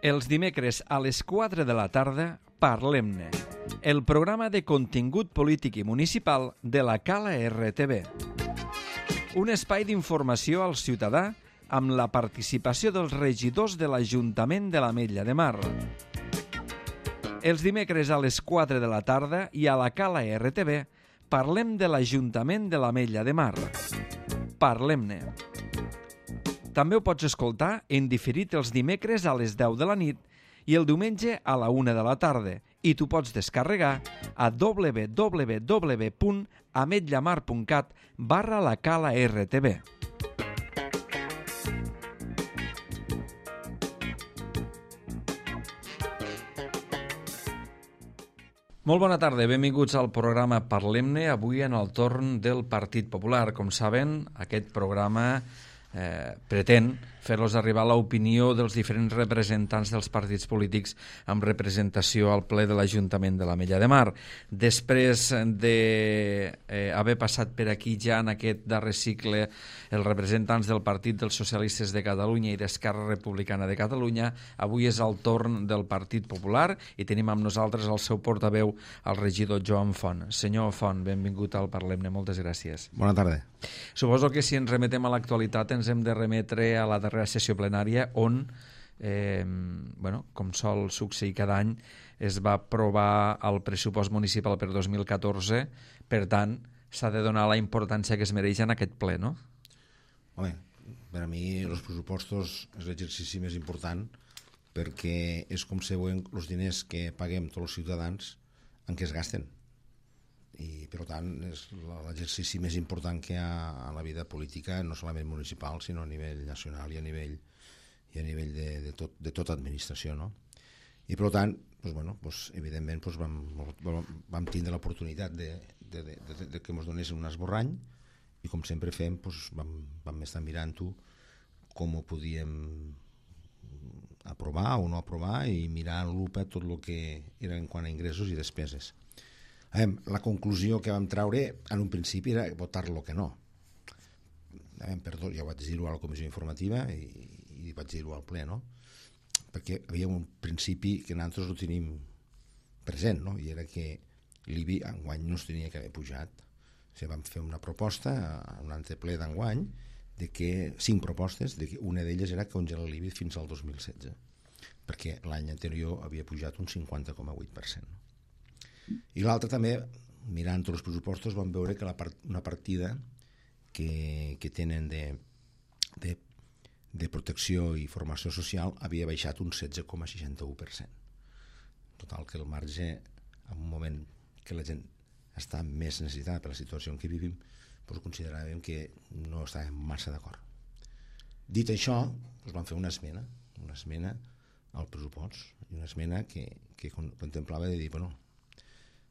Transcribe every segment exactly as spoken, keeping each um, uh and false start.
Els dimecres a les quatre de la tarda, Parlem-ne, el programa de contingut polític i municipal de la Cala R T V. Un espai d'informació al ciutadà amb la participació dels regidors de l'Ajuntament de l'Ametlla de Mar. Els dimecres a les quatre de la tarda i a la Cala R T V parlem de l'Ajuntament de l'Ametlla de Mar. Parlem-ne. També ho pots escoltar en diferit els dimecres a les deu de la nit i el diumenge a la una de la tarda i t'ho pots descarregar a w w w punt ametllamar punt cat barra la Cala R T V. Molt bona tarda, benvinguts al programa Parlem-ne, avui en el torn del Partit Popular. Com saben, aquest programa eh, pretén fer-los arribar l'opinió dels diferents representants dels partits polítics amb representació al ple de l'Ajuntament de l'Ametlla de Mar. Després d'haver eh, passat per aquí ja en aquest darrer cicle els representants del Partit dels Socialistes de Catalunya i d'Esquerra Republicana de Catalunya, avui és el torn del Partit Popular i tenim amb nosaltres el seu portaveu, el regidor Joan Font. Senyor Font, benvingut al Parlem-ne, moltes gràcies. Bona tarda. Suposo que si ens remetem a l'actualitat ens hem de remetre a la darrera sessió plenària on, eh, bueno, com sol succeir cada any, es va aprovar el pressupost municipal per dos mil catorze, per tant, s'ha de donar la importància que es mereix en aquest ple, no? Home, per a mi els pressupostos és l'exercici més important perquè és com se veuen els diners que paguem tots els ciutadans en què es gasten. I per tant és l'exercici més important que hi ha a la vida política, no solament municipal sinó a nivell nacional i a nivell, i a nivell de, de, tot, de tota administració, no? I per tant, doncs, bueno, doncs, evidentment doncs, vam, vam tindre l'oportunitat de, de, de, de, de que ens donessin un esborrany i com sempre fem doncs, vam, vam estar mirant-ho com ho podíem aprovar o no aprovar i mirar en lupa tot el que era en quant a ingressos i despeses. La conclusió que vam treure en un principi era votar-lo que no. Perdó, ja vaig dir-ho a la comissió informativa i, i vaig dir-ho al ple, no? Perquè havia un principi que nosaltres ho tenim present, no? I era que l'I B I enguany no es tenia que haver pujat. O sigui, vam fer una proposta a un anteple d'enguany de que cinc propostes, de que una d'elles era congelar l'I B I fins al dos mil setze, perquè l'any anterior havia pujat un cinquanta coma vuit per cent. I l'altre també, mirant tots els pressupostos, vam veure que la part, una partida que, que tenen de, de, de protecció i formació social havia baixat un setze coma seixanta-u per cent. Total, que el marge, en un moment que la gent està més necessitada per la situació en què vivim, doncs consideràvem que no estàvem massa d'acord. Dit això, doncs vam fer una esmena, una esmena al pressupost, i una esmena que, que contemplava de dir, bueno,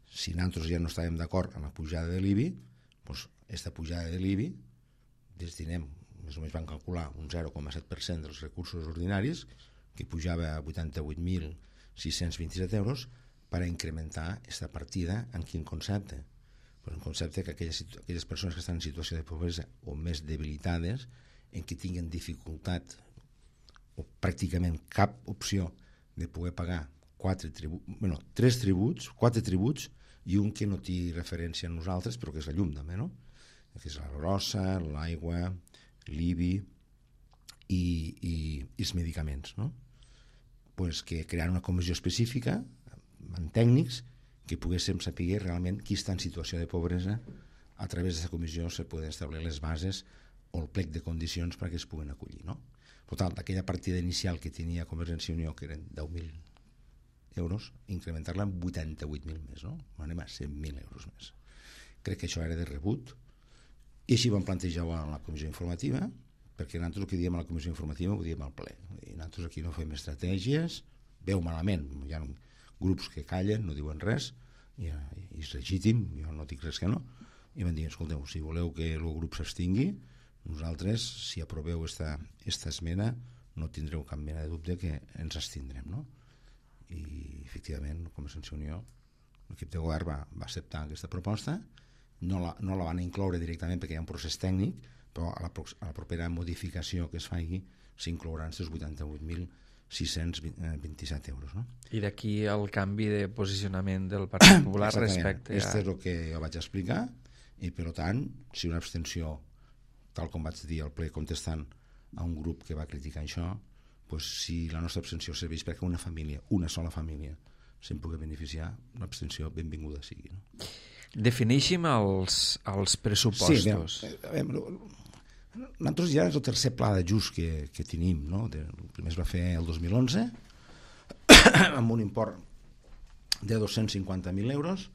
si nosaltres ja no estàvem d'acord amb la pujada de l'I B I, doncs aquesta pujada de l'I B I destinem, més o menys van calcular un zero coma set per cent dels recursos ordinaris, que pujava a vuitanta-vuit mil sis-cents vint-i-set euros, per a incrementar aquesta partida en quin concepte? Pues en concepte que aquelles, aquelles persones que estan en situació de pobresa o més debilitades, en què tinguen dificultat o pràcticament cap opció de poder pagar quatre tributs, bueno, tres tributs, quatre tributs i un que no té referència a nosaltres, però que és la llum també, no? Que és la grossa, l'aigua, l'I B I i, i, i els medicaments, no? Pues que crear una comissió específica amb tècnics que poguéssim saber realment qui està en situació de pobresa. A través d'aquesta comissió se poden establir les bases o el plec de condicions perquè es puguen acollir, no? Per tant, aquella partida inicial que tenia Convergència i Unió, que eren deu mil euros, incrementar-la en vuitanta-vuit mil més, no? Anem a cent mil euros més. Crec que això era de rebut i així vam plantejar a la comissió informativa, perquè nosaltres el que diem a la comissió informativa ho diem al ple. I nosaltres aquí no fem estratègies, veu malament, hi ha grups que callen, no diuen res, i, i és legítim, jo no dic res que no, i van dir, escolteu, si voleu que el grup s'abstingui, nosaltres, si aproveu esta, esta esmena, no tindreu cap mena de dubte que ens abstindrem, no? I efectivament Convergència i Unió, l'equip de govern va, va acceptar aquesta proposta, no la, no la van incloure directament perquè hi ha un procés tècnic, però a la, a la propera modificació que es faci s'inclouran els vuitanta-vuit mil sis-cents vint-i-set euros. No? I d'aquí el canvi de posicionament del Partit Popular respecte a... Aquest és el que jo vaig explicar, i per tant, si una abstenció, tal com vaig dir al ple contestant a un grup que va criticar això, pues, si la nostra abstenció serveix perquè una família, una sola família, se'n pugui beneficiar, una abstenció benvinguda sigui. No? Defineixin els, els pressupostos. Sí, bé, nosaltres ja és el tercer pla d'ajust que, que tenim. No? El primer es va fer el dos mil onze amb un import de dos-cents cinquanta mil euros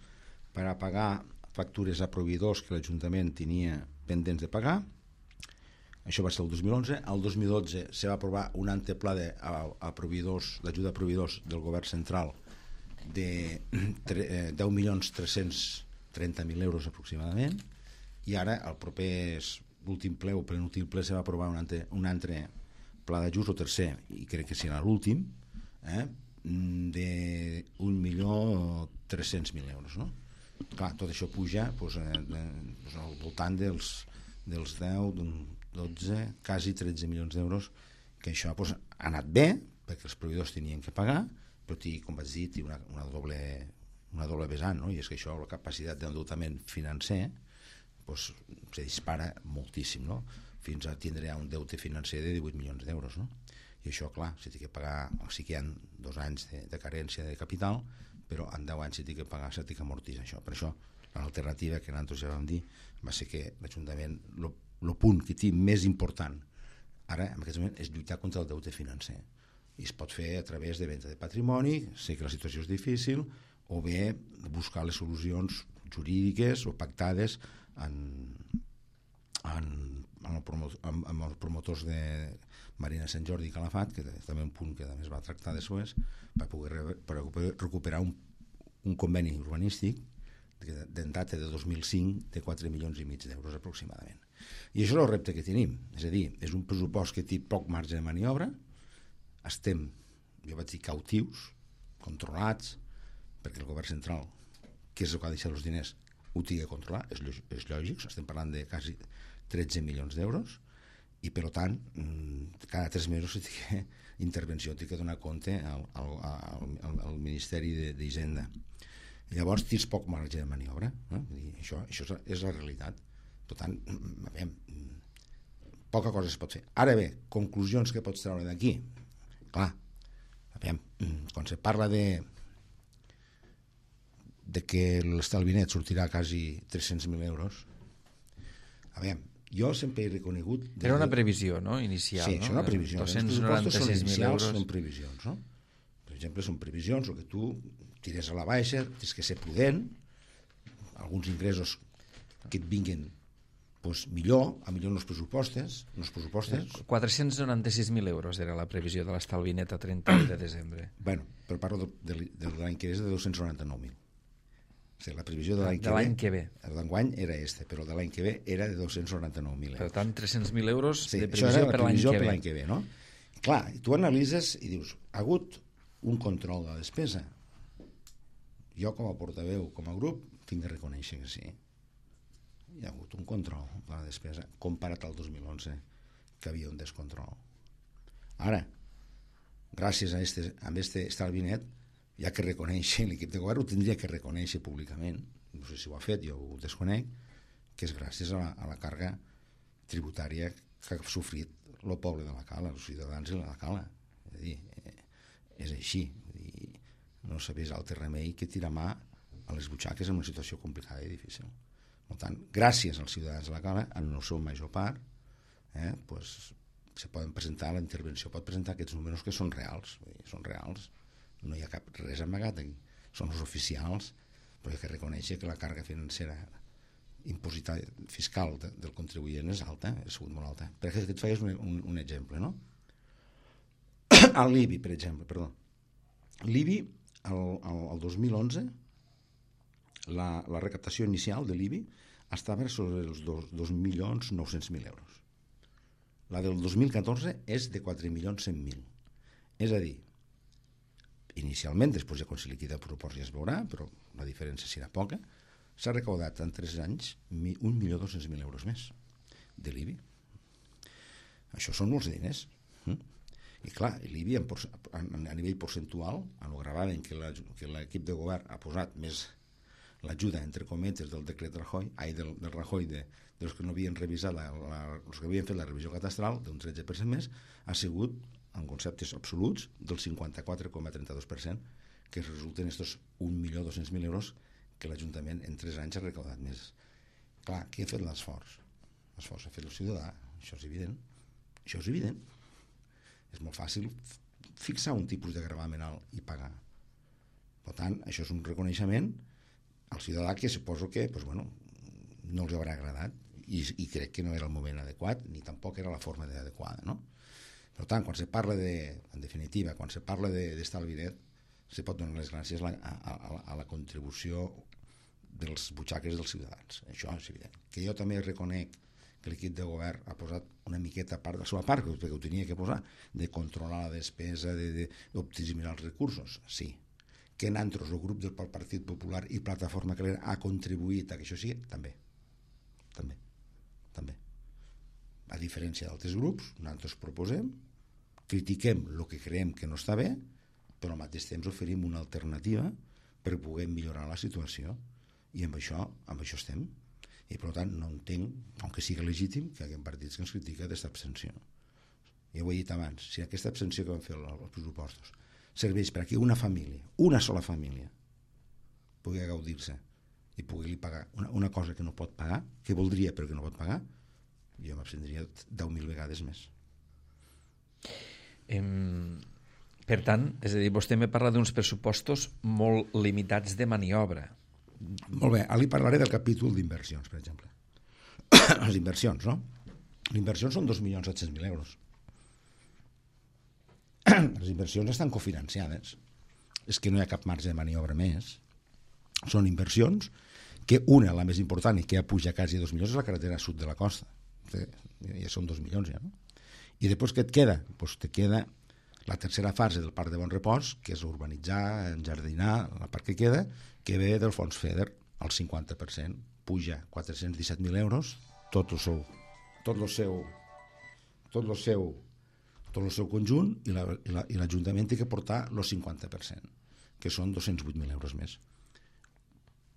per a pagar factures a proveïdors que l'Ajuntament tenia pendents de pagar. Això va ser el dos mil onze. El dos mil dotze se va aprovar un antepla de, a, a proveïdors, d'ajuda a proveïdors del govern central de deu milions tres-cents trenta mil euros aproximadament, i ara el proper últim ple o penúltim ple se va aprovar un altre, un altre pla d'ajust, o tercer, i crec que serà l'últim, eh, de un milió tres-cents mil euros. No? Clar, tot això puja doncs, eh, doncs al voltant dels, dels deu, dotze, quasi tretze milions d'euros, que això doncs, ha anat bé, perquè els proveïdors tenien que pagar, però té, com vaig dir, té una, una, doble, una doble vessant, no? I és que això, la capacitat d'endeutament financer doncs, se dispara moltíssim, no? Fins a tindre un deute financer de divuit milions d'euros. No? I això, clar, s'ha de pagar, sí que hi ha dos anys de, de carència de capital, però en deu anys s'ha de pagar, s'ha de amortitzar això. Per això, l'alternativa que nosaltres ja vam dir va ser que l'Ajuntament, el punt que té més important ara, en aquest moment, és lluitar contra el deute financer. I es pot fer a través de venda de patrimoni, sé que la situació és difícil, o bé buscar les solucions jurídiques o pactades en, en, en, el promo, en, en els promotors de Marina Sant Jordi i Calafat, que és també un punt que també es va tractar després, per poder, per poder recuperar un, un conveni urbanístic d'en data de dos mil cinc de quatre milions i mig d'euros aproximadament. I això és el repte que tenim, és a dir, és un pressupost que té poc marge de maniobra, estem, jo vaig dir, cautius, controlats, perquè el govern central, que és el que ha deixat els diners, ho tingui a controlar, és, és lògic, estem parlant de quasi tretze milions d'euros, i per tant, cada tres mesos si tingui intervenció, té que donar compte al, al, al, al Ministeri d'Hisenda. Llavors tens poc marge de maniobra, no? Això, això és la realitat. Per tant, veiem, poca cosa es pot fer. Ara bé, conclusions que pots treure d'aquí. Clar, veiem, quan se parla de de que l'estalvi net sortirà quasi tres-cents mil euros, a veure, jo sempre he reconegut... Era una previsió, no?, inicial. Sí, no? És una previsió. dos-cents noranta-sis mil euros. Són previsions, no? Per exemple, són previsions, el que tu tires a la baixa, tens que ser prudent, alguns ingressos que et vinguin pues, millor, a millor en els pressupostos, en els pressupostos. quatre-cents noranta-sis mil euros era la previsió de l'estalvi net a trenta de desembre. Bueno, però parlo de, de, de l'any que ve és de dos-cents noranta-nou mil. O sigui, la previsió de l'any de que, l'any que ve. El d'enguany era este, però de l'any que ve era de dos-cents noranta-nou mil euros. Per tant, tres-cents mil euros sí, de previsió per l'any que, per que ve. No? Clar, tu analitzes i dius, ha hagut un control de la despesa. Jo, com a portaveu, com a grup, tinc de reconèixer que sí. Hi ha hagut un control de la despesa comparat al dos mil onze, que havia un descontrol. Ara, gràcies a este, a este estalvi net, hi ha que reconèixer, l'equip de govern ho tindria que reconèixer públicament, no sé si ho ha fet, jo ho desconec, que és gràcies a la, a la càrrega tributària que ha sofrit el poble de la Cala, els ciutadans de la Cala. És a dir, és així. Dir, no sabés altre remei que tirar mà a les butxaques en una situació complicada i difícil. Per tant, gràcies als ciutadans de la Cala, en el seu major part, eh, pues, se poden presentar, la intervenció pot presentar aquests números que són reals, vull dir, són reals. No hi ha cap res amagat aquí. Són els oficials, però hi ha que reconèixer que la càrrega financera impositada fiscal de, del contribuent és alta, és sigut molt alta. Per exemple, et feies un, un, un exemple, no? A l'I B I, per exemple, perdó. L'I B I, el, el, el dos mil onze, la, la recaptació inicial de l'I B I estava sobre els dos milions nou-cents mil euros. La del dos mil catorze és de quatre milions cent mil. És a dir, inicialment, després ja quan se liquida el pressupost ja es veurà, però la diferència serà poca, s'ha recaudat en tres anys un milió dos-cents mil euros més de l'I B I. Això són molts diners. I clar, l'I B I a nivell percentual, quan ho gravaven que l'equip de govern ha posat més l'ajuda, entre cometes, del decret Rajoy, ai, del, del Rajoy, de, dels que no havien revisat, la, la, els que havien fet la revisió catastral, d'un tretze per cent més, ha sigut, en conceptes absoluts, del cinquanta-quatre coma trenta-dos per cent, que resulten estos un milió dos-cents mil euros que l'Ajuntament en tres anys ha recaudat més. Clar, qui ha fet l'esforç? L'esforç ha fet el ciutadà, això és evident. Això és evident. És molt fàcil fixar un tipus de gravamen alt i pagar. Per tant, això és un reconeixement al ciutadà que suposo que pues, bueno, no els haurà agradat i, i crec que no era el moment adequat ni tampoc era la forma adequada, no? Per tant, quan se parla de, en definitiva, quan se parla d'estalvi net, se pot donar les gràcies a la, a, a, a la contribució dels butxaques dels ciutadans. Això és evident. Que jo també reconec que l'equip de govern ha posat una miqueta part de la seva part, perquè ho tenia que posar, de controlar la despesa, d'optimitzar els recursos, sí. Que en altres el grup del Partit Popular i Plataforma Calera ha contribuït a que això sigui, també. També. També. A diferència d'altres grups, nosaltres proposem, critiquem el que creiem que no està bé, però al mateix temps oferim una alternativa per poder millorar la situació. I amb això, amb això estem. I per tant no entenc, aunque sigui legítim, que hi ha partits que ens critica d'aquesta abstenció. Ja ho he dit abans, si aquesta abstenció que vam fer als pressupostos serveix perquè una família, una sola família, pugui gaudir-se i pugui pagar una, una cosa que no pot pagar, que voldria però que no pot pagar, jo m'abstendria deu mil vegades més. Em... Per tant, és a dir, vostè me parla d'uns pressupostos molt limitats de maniobra. Molt bé, ara li parlaré del capítol d'inversions, per exemple. Les inversions, no? Les inversions són dos milions set-cents mil euros. Les inversions estan cofinanciades. És que no hi ha cap marge de maniobra més. Són inversions que una, la més important, i que ja puja quasi dos milions, és la carretera sud de la costa. Ja són dos milions, ja, no? I després què et queda? Doncs te queda la tercera fase del Parc de Bon Repòs, que és urbanitzar, enjardinar, la part que queda, que ve del fons FEDER, al cinquanta per cent, puja quatre-cents disset mil euros, tot el seu, tot el seu, tot el seu, tot el seu conjunt, i l'Ajuntament té que portar el cinquanta per cent, que són dos-cents vuit mil euros més.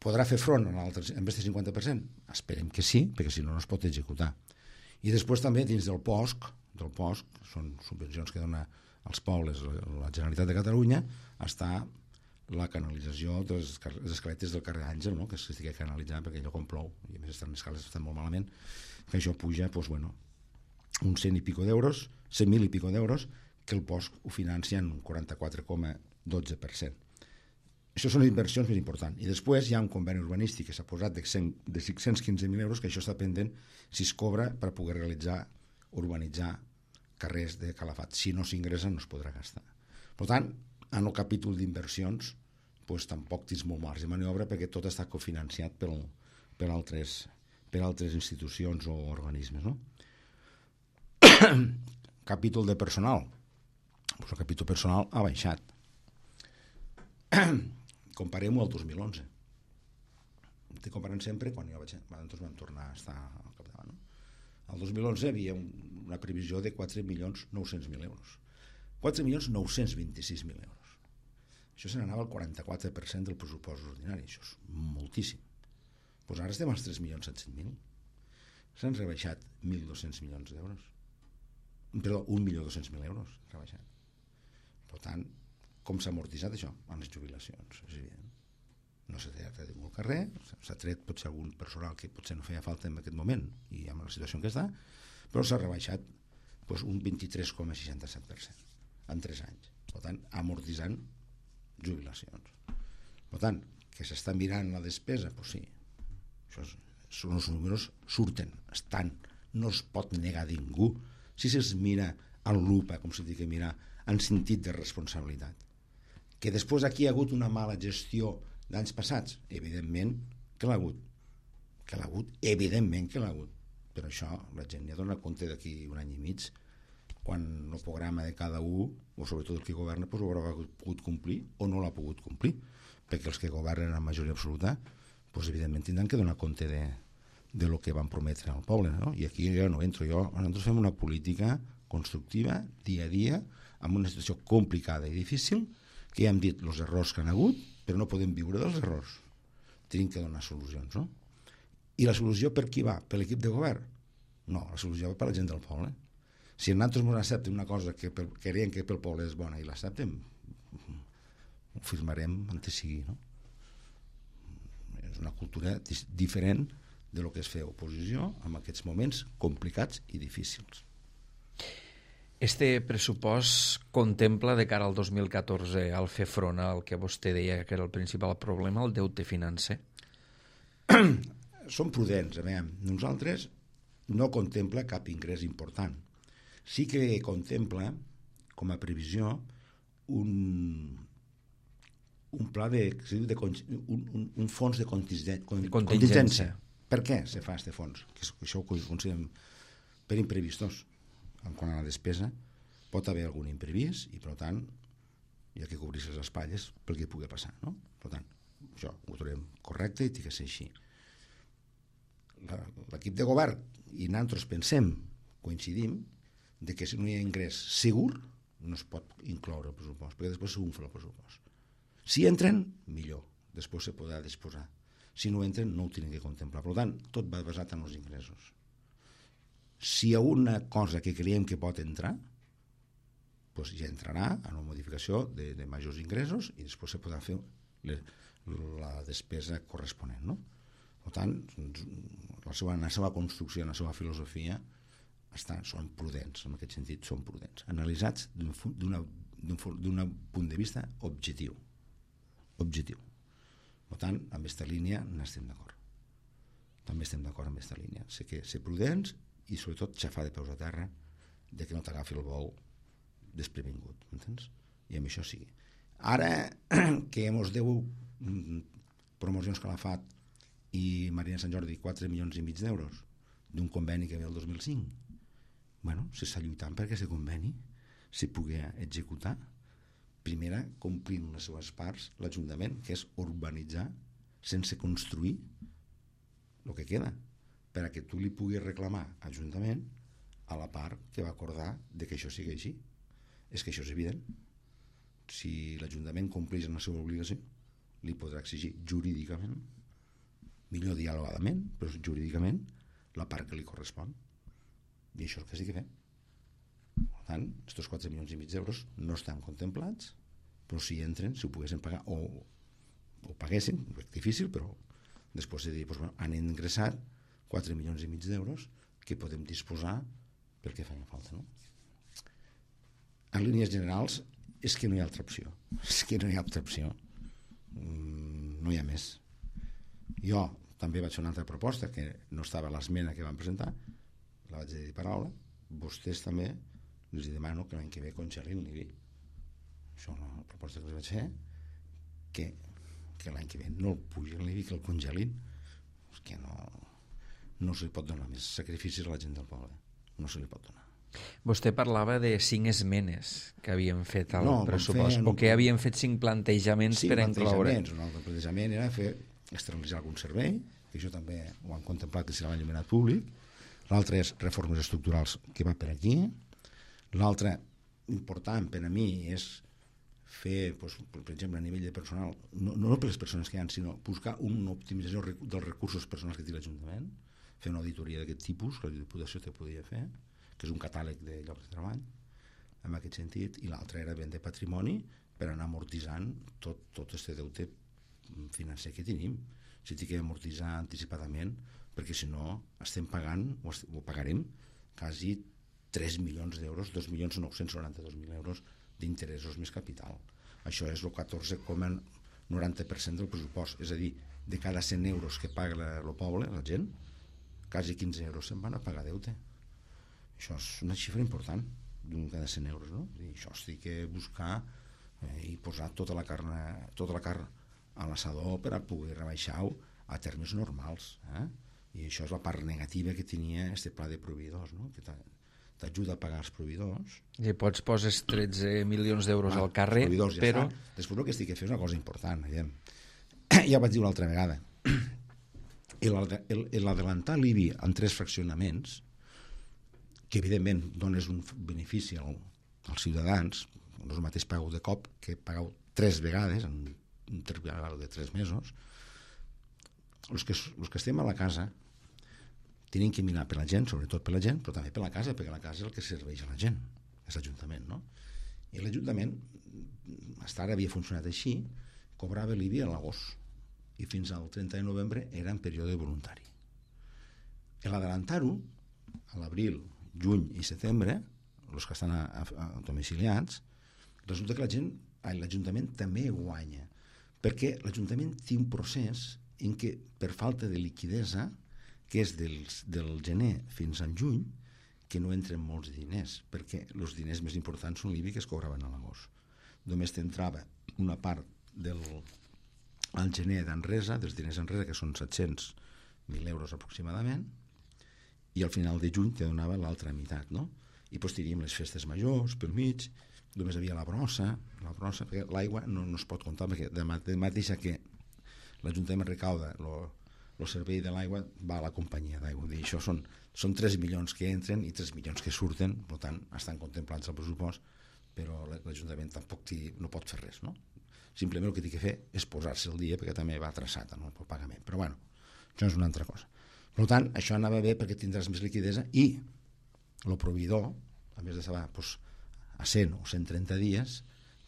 Podrà fer front en aquest cinquanta per cent? Esperem que sí, perquè si no no es pot executar. I després també dins del P O S C, del P O S C, són subvencions que dona als pobles la Generalitat de Catalunya, està la canalització de les escaletes del carrer Àngel, no? Que s'estigui canalitzant perquè allò com plou, i a més estan les escales estan molt malament, que això puja doncs, bueno, uns cent i pico d'euros, cent mil i pico d'euros, que el P O S C ho financia en un quaranta-quatre coma dotze per cent. Això són les inversions més importants. I després hi ha un conveni urbanístic que s'ha posat de cinc-cents quinze mil euros, que això està pendent si es cobra per poder realitzar, urbanitzar carrers de Calafat. Si no s'ingressa no es podrà gastar. Per tant, en el capítol d'inversions doncs, tampoc tens molt marge de maniobra perquè tot està cofinanciat per, per, altres, per altres institucions o organismes, no? Capítol de personal. Pues el capítol personal ha baixat. Comparem-ho al dos mil onze. Estic comparant sempre quan jo vaig, nosaltres vam tornar a estar al capdavant, no? El dos mil onze hi havia una previsió de quatre milions nou-cents mil euros. quatre milions nou-cents vint-i-sis mil euros. Això se n'anava al quaranta-quatre per cent del pressupost ordinari. Això és moltíssim. Doncs ara estem als tres milions set-cents mil. S'han rebaixat mil dos-cents milions d'euros. Perdó, un milió dos-cents mil euros rebaixat. Per tant, com s'ha amortitzat això? En les jubilacions, és evident. No s'ha tret de ningú al carrer, s'ha tret potser algun personal que potser no feia falta en aquest moment i amb la situació en què està, però s'ha rebaixat doncs, un vint-i-tres coma seixanta-set per cent en tres anys. Per tant, amortitzant jubilacions. Per tant, que s'està mirant la despesa, doncs sí, això és, són els números, surten, estan, no es pot negar a ningú. Si se'ls mira en lupa, com s'ha dit que mirar, en sentit de responsabilitat. Que després aquí hi ha hagut una mala gestió d'anys passats, evidentment que l'ha hagut, que l'ha hagut, evidentment que l'ha hagut, però això la gent ja dona compte d'aquí un any i mig, quan el programa de cada un, o sobretot el que governa, doncs ho haurà pogut complir o no l'ha pogut complir, perquè els que governen en majoria absoluta, doncs evidentment tindran que donar compte de, de lo que van prometre al poble, no? I aquí jo no entro, jo, nosaltres fem una política constructiva, dia a dia, en una situació complicada i difícil, que ja hem dit els errors que han hagut, però no podem viure dels errors. Tenim que donar solucions, no? I la solució per qui va? Per l'equip de govern? No, la solució va per la gent del poble. Si nosaltres ens acceptem una cosa que per, creiem que pel poble és bona i l'acceptem, ho firmarem antes sigui, no? És una cultura diferent de lo que és fer oposició en aquests moments complicats i difícils. Este pressupost contempla de cara al dos mil catorze al fer front al que vostè deia que era el principal problema, el deute financer? Som prudents, a veure. Nosaltres no contempla cap ingrés important. Sí que contempla, com a previsió, un, un pla de, de un, un, un fons de contingència. contingència. Per què se fa aquest fons? Que això ho considerem per imprevistos. En quant a la despesa, pot haver algun imprevist i, per tant, hi ha que cobrir-se les espatlles pel que pugui passar, no? Per tant, això ho trobem correcte i té que ser així. L'equip de govern i nosaltres pensem, coincidim, de que si no hi ha ingrés segur no es pot incloure el pressupost, perquè després s'unfa el pressupost. Si entren, millor, després se podrà disposar. Si no entren, no ho tenen que contemplar. Per tant, tot va basat en els ingressos. Si hi ha una cosa que creiem que pot entrar, doncs ja entrarà en una modificació de, de majors ingressos i després se podrà fer le, la despesa corresponent, no? Per tant, la seva, la seva construcció, la seva filosofia està, són prudents, en aquest sentit són prudents, analitzats d'un punt de vista objectiu. Objectiu. Per tant, amb aquesta línia n'estem d'acord. També estem d'acord amb aquesta línia. Sé que ser prudents i sobretot xafar de peus a terra de que no t'agafi el bou desprevingut, m'entens? I amb això sigui. Ara que mos deu promocions que l'ha fet i Marina Sant Jordi quatre milions i mig d'euros d'un conveni que ve el dos mil cinc, bueno, s'està lluitant perquè aquest conveni se pugui executar. Primera, complint les seves parts l'Ajuntament, que és urbanitzar sense construir el que queda, per a que tu li puguis reclamar a l'Ajuntament a la part que va acordar de que això sigui així. És que això és evident. Si l'Ajuntament compleix amb la seva obligació, li podrà exigir jurídicament, millor dialogadament, però jurídicament, la part que li correspon. I això és el que sí que fem. Per tant, aquests quatre milions i mig d'euros no estan contemplats, però si entren, si ho poguessin pagar, o ho paguessin, és difícil, però després de dir, doncs, bueno, han ingressat quatre milions i mig d'euros que podem disposar pel que feia falta, no? En línies generals, és que no hi ha altra opció. És que no hi ha altra opció. Mm, no hi ha més. Jo també vaig fer una altra proposta que no estava a l'esmena que vam presentar, la vaig dir paraula, vostès també els demano que l'any que ve congelin l'I B I. Això és una proposta que els vaig fer, que, que l'any que ve no el pugin l'I B I, que el congelin. És que no, no se li pot donar més sacrificis a la gent del poble. No se li pot donar. Vostè parlava de cinc esmenes que havien fet al no, pressupost, o que havien fet cinc plantejaments sí, per incloure. Un altre plantejament era fer externalitzar algun servei, que això també ho han contemplat que serà l'enllumenat públic. L'altre és reformes estructurals, que va per aquí. L'altre, important per a mi, és fer, doncs, per exemple, a nivell de personal, no, no per les persones que hi ha, sinó buscar una optimització dels recursos personals que té l'Ajuntament, fer una auditoria d'aquest tipus, que la Diputació te podia fer, que és un catàleg de llocs de treball, en aquest sentit, i l'altre era vendre patrimoni per anar amortitzant tot, tot este deute financer que tenim. Si tinc que amortitzar anticipadament, perquè si no estem pagant, o, est o pagarem, quasi tres milions d'euros, dos milions nou-cents noranta-dos mil euros d'interessos més capital. Això és el catorze coma noranta per cent del pressupost, és a dir, de cada cent euros que paga el poble, la gent, quasi quinze euros se'n van a pagar deute. Això és una xifra important, d'un cada cent euros, no? I això estic que buscar eh, i posar tota la carn, tota la carn a l'assador per a poder rebaixar-ho a termes normals, eh? I això és la part negativa que tenia este pla de proveïdors, no? Que t'ajuda a pagar els proveïdors. I pots poses tretze milions d'euros ah, al carrer, ja però... Està. Després el que estic a fer és una cosa important, veiem. Ja ho vaig dir una altra vegada. L'adelantar l'I B I en tres fraccionaments, que evidentment dones un benefici al, els ciutadans, no és el mateix pagueu de cop que pagueu tres vegades en un interval de tres mesos. Els que, els que estem a la casa tenim que mirar per la gent, sobretot per la gent, però també per la casa, perquè la casa és el que serveix a la gent, és l'Ajuntament, no? I l'Ajuntament, fins ara havia funcionat així, cobrava l'I B I a l'agost, i fins al trenta de novembre era en període voluntari. L'adelantar-ho, a l'abril, juny i setembre, els que estan a, a, a domiciliats, resulta que la gent, l'Ajuntament també guanya, perquè l'Ajuntament té un procés en què, per falta de liquidesa, que és dels, del gener fins al juny, que no entren molts diners, perquè els diners més importants són l'I B I que es cobraven a l'agost. Només t'entrava una part del al gener d'enresa, dels diners enresa, que són set-cents mil euros aproximadament, i al final de juny te donava l'altra meitat, no? I doncs teníem les festes majors pel mig, només havia la brossa, la brossa, perquè l'aigua no, no es pot comptar, perquè de mateixa que l'Ajuntament recauda el servei de l'aigua, va a la companyia d'aigua. Això són, són tres milions que entren i tres milions que surten, per tant, estan contemplats al pressupost, però l'Ajuntament tampoc no pot fer res, no? Simplement el que té que fer és posar-se el dia, perquè també va traçat en el pagament. Però bueno, això és una altra cosa. Per tant, això anava bé perquè tindràs més liquidesa i el proveïdor, a més de saber pues, a cent o cent trenta dies,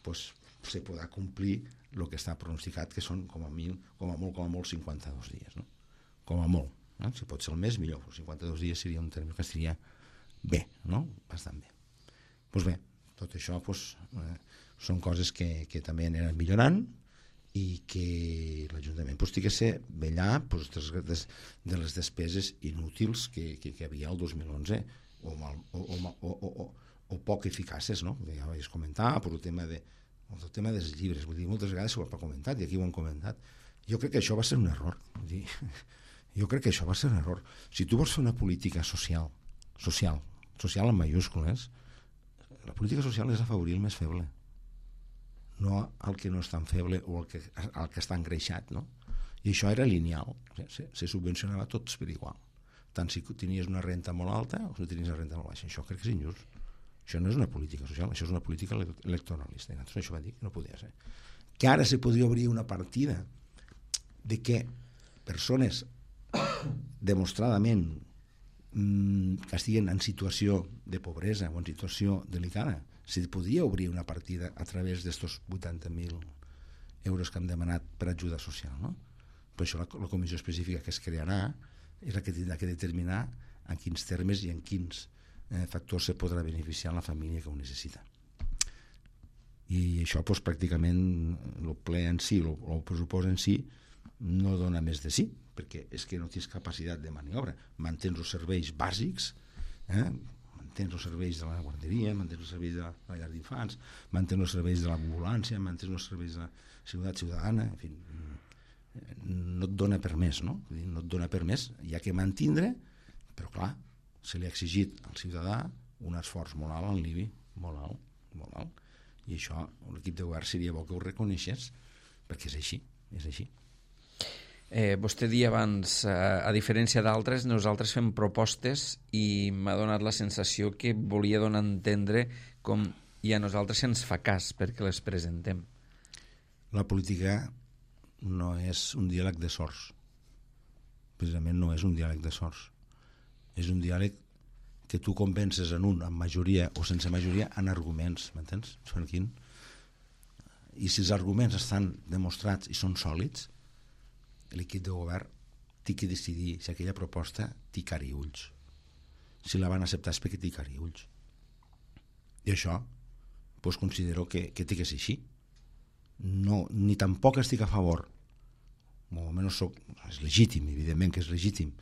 pues, se podrà complir el que està pronosticat, que són com a, mil, com a molt, com a molt cinquanta-dos dies, no? Com a molt. No? Si pot ser el mes, millor. cinquanta-dos dies seria un terme que estaria bé, no? Bastant bé. Doncs pues bé, tot això pues, eh, són coses que, que també aniran millorant i que l'Ajuntament pues, té que ser vetllar pues, des, de les despeses inútils que, que, que havia el dos mil onze o, mal, o, o, o, o, o poc eficaces, no? Ja vaig comentar per el tema de el tema dels llibres, vull dir, moltes vegades s'ho ha comentat i aquí ho han comentat. Jo crec que això va ser un error. Vull dir, jo crec que això va ser un error. Si tu vols fer una política social, social, social en mayúscules, la política social és afavorir el més feble, no el que no és tan feble o el que, el que està engreixat, no? I això era lineal, se, se subvencionava tots per igual, tant si tenies una renta molt alta o si tenies una renta molt baixa. Això crec que és injust. Això no és una política social, això és una política electoralista. I nosaltres això va dir que no podia ser. Que ara se podria obrir una partida de que persones demostradament mmm, que estiguen en situació de pobresa o en situació delicada, se podria obrir una partida a través d'estos vuitanta mil euros que hem demanat per ajuda social, no? Per això la, la comissió específica que es crearà és la que tindrà que determinar en quins termes i en quins eh, factors se podrà beneficiar la família que ho necessita. I això doncs, pràcticament el ple en si, el, el pressupost en si no dona més de sí, perquè és que no tens capacitat de maniobra. Mantens els serveis bàsics, eh? mantens els serveis de la guarderia, mantens els serveis de la, de la llar d'infants, mantens els serveis de l'ambulància, mantens els serveis de la ciutat ciutadana, en fi, no et dona per més, no? No et dona per més, hi ha que mantindre, però clar, se li ha exigit al ciutadà un esforç molt alt en l'I B I, molt alt, molt alt, i això l'equip de govern seria bo que ho reconeixés, perquè és així, és així. Eh, vostè dia abans, eh, a diferència d'altres, nosaltres fem propostes i m'ha donat la sensació que volia donar a entendre com i a nosaltres se'ns fa cas perquè les presentem. La política no és un diàleg de sords. Precisament no és un diàleg de sords. És un diàleg que tu convences en un, amb majoria o sense majoria, en arguments, m'entens? I si els arguments estan demostrats i són sòlids, l'equip de govern té que decidir si aquella proposta té cara i ulls. Si la van acceptar és perquè té cara i ulls. I això doncs considero que, que té que ser així. No, ni tampoc estic a favor, o almenys soc, és legítim, evidentment que és legítim,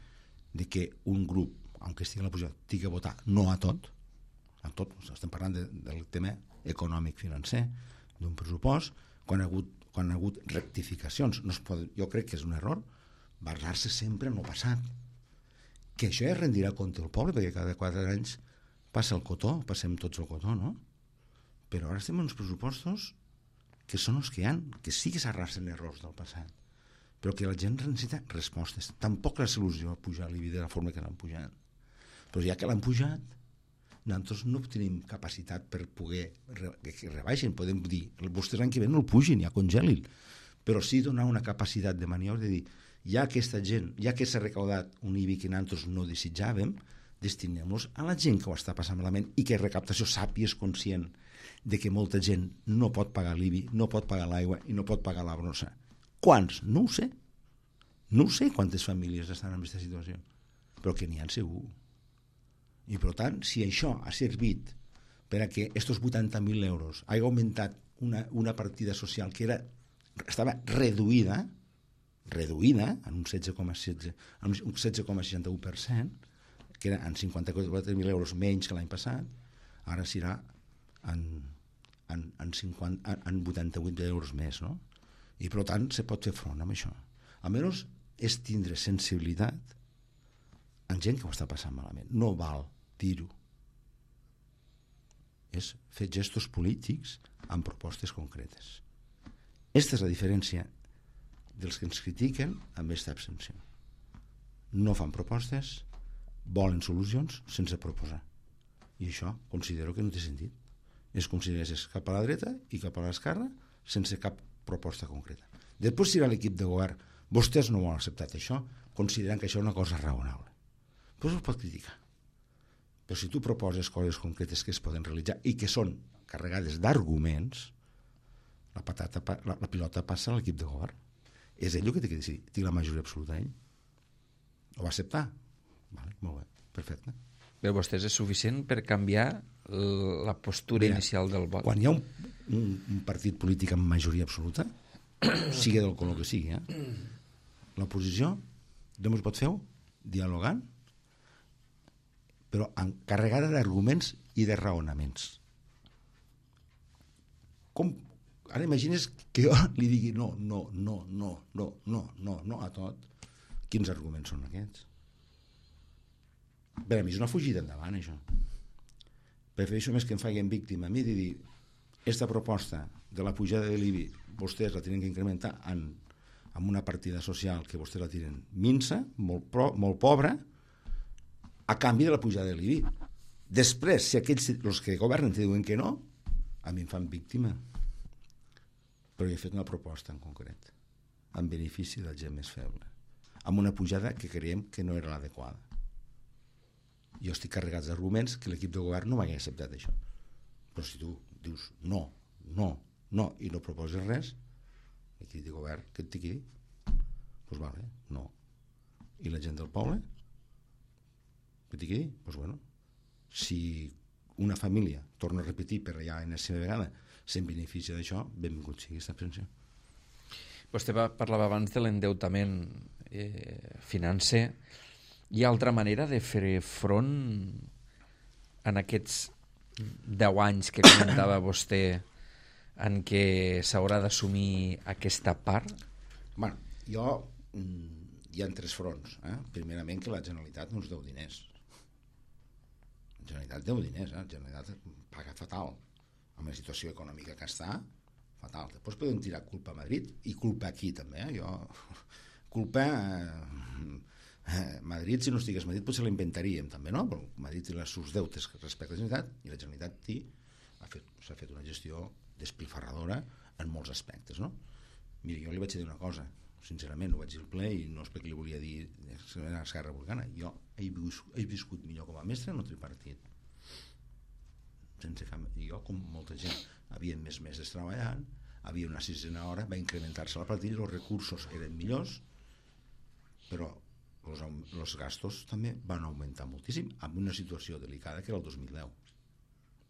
de que un grup, aunque estigui a la posició, tingui que votar no a tot, a tot, estem parlant de, del tema econòmic financer, d'un pressupost, quan ha hagut, quan ha hagut rectificacions. No es pot, jo crec que és un error basar-se sempre en el passat. Que això ja rendirà compte el poble, perquè cada quatre anys passa el cotó, passem tots el cotó, no? Però ara estem en uns pressupostos que són els que hi ha, que sí que s'arrastren errors del passat, però que la gent necessita respostes. Tampoc la solució a pujar l'I B I de la forma que l'han pujat. Però ja que l'han pujat, nosaltres no tenim capacitat per poder que rebaixin, podem dir, vostès l'any que ve no el pugin, ja congelin, però sí donar una capacitat de maniobra de dir, ja aquesta gent, ja que s'ha recaudat un I B I que nosaltres no desitjàvem, destinem-los a la gent que ho està passant malament i que recaptació sàpiga és conscient de que molta gent no pot pagar l'I B I, no pot pagar l'aigua i no pot pagar la brossa. Quants? No ho sé. No ho sé quantes famílies estan en aquesta situació, però que n'hi ha segur. I per tant, si això ha servit per a que estos vuitanta mil euros hagi augmentat una, una partida social que era, estava reduïda, reduïda en un setze coma seixanta u per cent, que era en cinquanta-quatre mil euros menys que l'any passat, ara serà en, en, en, cinquanta, en vuitanta-vuit euros més, no? I per tant se pot fer front amb això. Almenys és tindre sensibilitat en gent que ho està passant malament. No val dir-ho. És fer gestos polítics amb propostes concretes. Aquesta és la diferència dels que ens critiquen amb aquesta abstenció. No fan propostes, volen solucions sense proposar. I això considero que no té sentit. És com si anessis cap a la dreta i cap a l'esquerra sense cap proposta concreta. Després, si era l'equip de govern, vostès no ho han acceptat això, considerant que això és una cosa raonable. Doncs ho pot criticar. Però si tu proposes coses concretes que es poden realitzar i que són carregades d'arguments, la, patata, la, la pilota passa a l'equip de govern. És ell el que té que decidir. Té la majoria absoluta ell. Ho va acceptar? Vale, molt bé, perfecte. Per vostès és suficient per canviar la postura Mira, inicial del vot? Quan hi ha un, un, un partit polític amb majoria absoluta, sigui del color que sigui, eh? L'oposició només pot fer-ho dialogant, però carregada d'arguments i de raonaments. Com, ara imagines que jo li digui no, no, no, no, no, no, no, no a tot. Quins arguments són aquests? Per a mi és una fugida endavant, això. Prefereixo més que em facin víctima a mi de dir aquesta proposta de la pujada de l'I B I vostès la tenen que incrementar en, en una partida social que vostès la tenen minsa, molt, pro, molt pobra, a canvi de la pujada de l'I B I. Després, si aquells els que governen te diuen que no, a mi em fan víctima. Però jo he fet una proposta en concret, en benefici de la gent més feble, amb una pujada que creiem que no era l'adequada. Jo estic carregat d'arguments que l'equip de govern no m'hagués acceptat això. Però si tu dius no, no, no, i no proposes res, l'equip de govern, què et té que dir? Doncs pues vale, no. I la gent del poble? Què té que dir? Doncs pues bueno, si una família, torna a repetir per allà en la seva vegada, se'n beneficia d'això, benvingut sigui aquesta abstenció. Vostè va, parlava abans de l'endeutament eh, financer. Hi ha altra manera de fer front en aquests deu anys que comentava vostè en què s'haurà d'assumir aquesta part? Bueno, jo hi ha tres fronts. Eh? Primerament que la Generalitat no ens deu diners. La Generalitat deu diners, eh? La Generalitat paga fatal. Amb la situació econòmica que està, fatal. Després podem tirar culpa a Madrid i culpa aquí també. Eh? Jo, culpa... Eh, Madrid, si no estigués Madrid, potser l'inventaríem també, no? Però Madrid té els seus deutes respecte a la Generalitat i la Generalitat té, ha fet, s'ha fet una gestió despilfarradora en molts aspectes, no? Mira, jo li vaig dir una cosa, sincerament, ho vaig dir al ple i no és perquè li volia dir a Esquerra Republicana. Jo he viscut, he viscut millor com a mestre en el tripartit. Sense cap... Jo, com molta gent, havia més mesos treballant, havia una sisena hora, va incrementar-se la plantilla, els recursos eren millors, però els, els gastos també van augmentar moltíssim en una situació delicada que era el dos mil deu.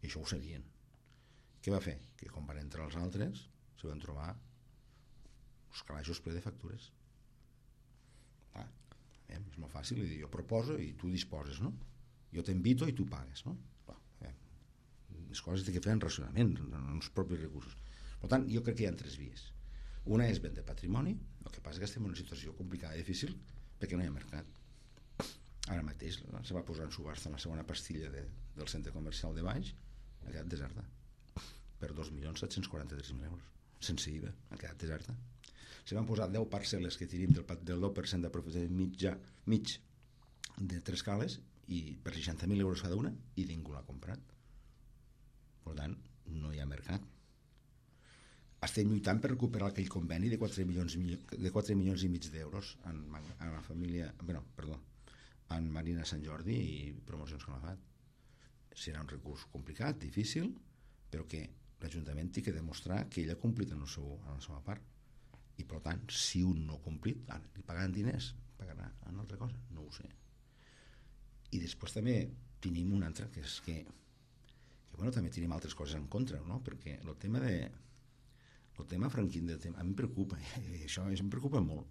I això ho sabien. Què va fer? Que quan van entrar els altres se van trobar els calaixos ple de factures. Ah, eh, és molt fàcil dir, jo proposo i tu disposes, no? Jo t'invito i tu pagues, no? Ah, eh, les coses té que fer en racionament, en els propis recursos. Per tant, jo crec que hi ha tres vies. Una és vendre patrimoni, el que passa és que estem en una situació complicada i difícil perquè no hi ha mercat. Ara mateix se va posar en subhasta la segona pastilla de, del centre comercial de Baix, ha quedat deserta per dos milions set-cents quaranta-tres mil euros sense I V A, ha quedat deserta. Se van posar deu parcel·les que tenim del, del deu per cent de propietat mitjà mig de tres cales i per seixanta mil euros cada una i ningú l'ha comprat. Per tant, no hi ha mercat. Estem lluitant per recuperar aquell conveni de quatre milions, de quatre milions i mig d'euros en, en la família, bueno, perdó, en Marina Sant Jordi i Promocions Calafat. Serà un recurs complicat, difícil, però que l'Ajuntament té que demostrar que ell ha complit en, el seu, en la seva part. I per tant, si un no ha complit, ara, li pagaran diners, pagarà en altra cosa, no ho sé. I després també tenim una altra, que és que, que bueno, també tenim altres coses en contra, no? Perquè el tema de el tema franquín del tema, a mi em preocupa, i això, això em preocupa molt.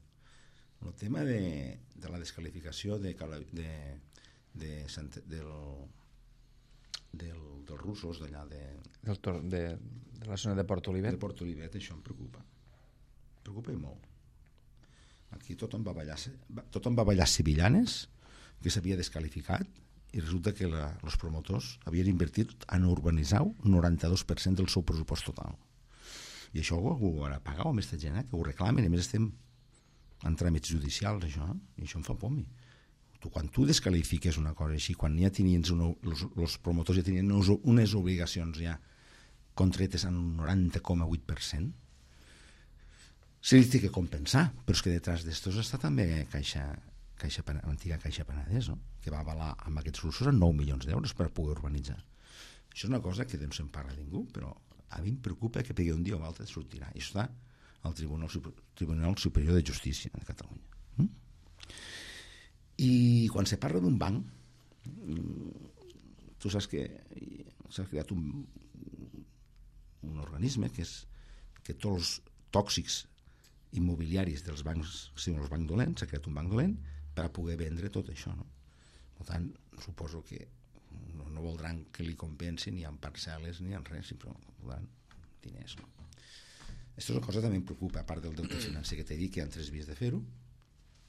El tema de, de la descalificació de, de, de, de, del, del, dels russos d'allà de, del tor de, de la zona de Port Olivet. De Port Olivet, això em preocupa. Em preocupa i molt. Aquí tothom va ballar, tothom va ballar sevillanes, que s'havia descalificat, i resulta que la, els promotors havien invertit en urbanitzar un noranta-dos per cent del seu pressupost total. I això ho, ho haurà pagat amb aquesta gent, eh, que ho reclamen, i a més estem en tràmits judicials, això, i això em fa por a mi. Tu, quan tu descalifiques una cosa així, quan ja tenies una, els, els promotors ja tenien unes obligacions ja contretes en un noranta coma vuit per cent, se li té que compensar, però és que detrás d'estos està també Caixa, Caixa, antiga Caixa Penedès, no? Que va avalar amb aquests russos en nou milions d'euros per poder urbanitzar. Això és una cosa que no se'n parla ningú, però a mi em preocupa que perquè un dia o l'altre sortirà. I això està al Tribunal, Tribunal Superior de Justícia de Catalunya. Mm? I quan se parla d'un banc, tu saps que s'ha creat un, un organisme que és que tots els tòxics immobiliaris dels bancs, si no els bancs dolents, s'ha creat un banc dolent per a poder vendre tot això, no? Per tant, suposo que no, no voldran que li compensin ni en parcel·les ni en res, sinó voldran diners, no? Aquesta és una cosa que també em preocupa, a part del deute financer, que t'he dit que hi ha tres vies de fer-ho,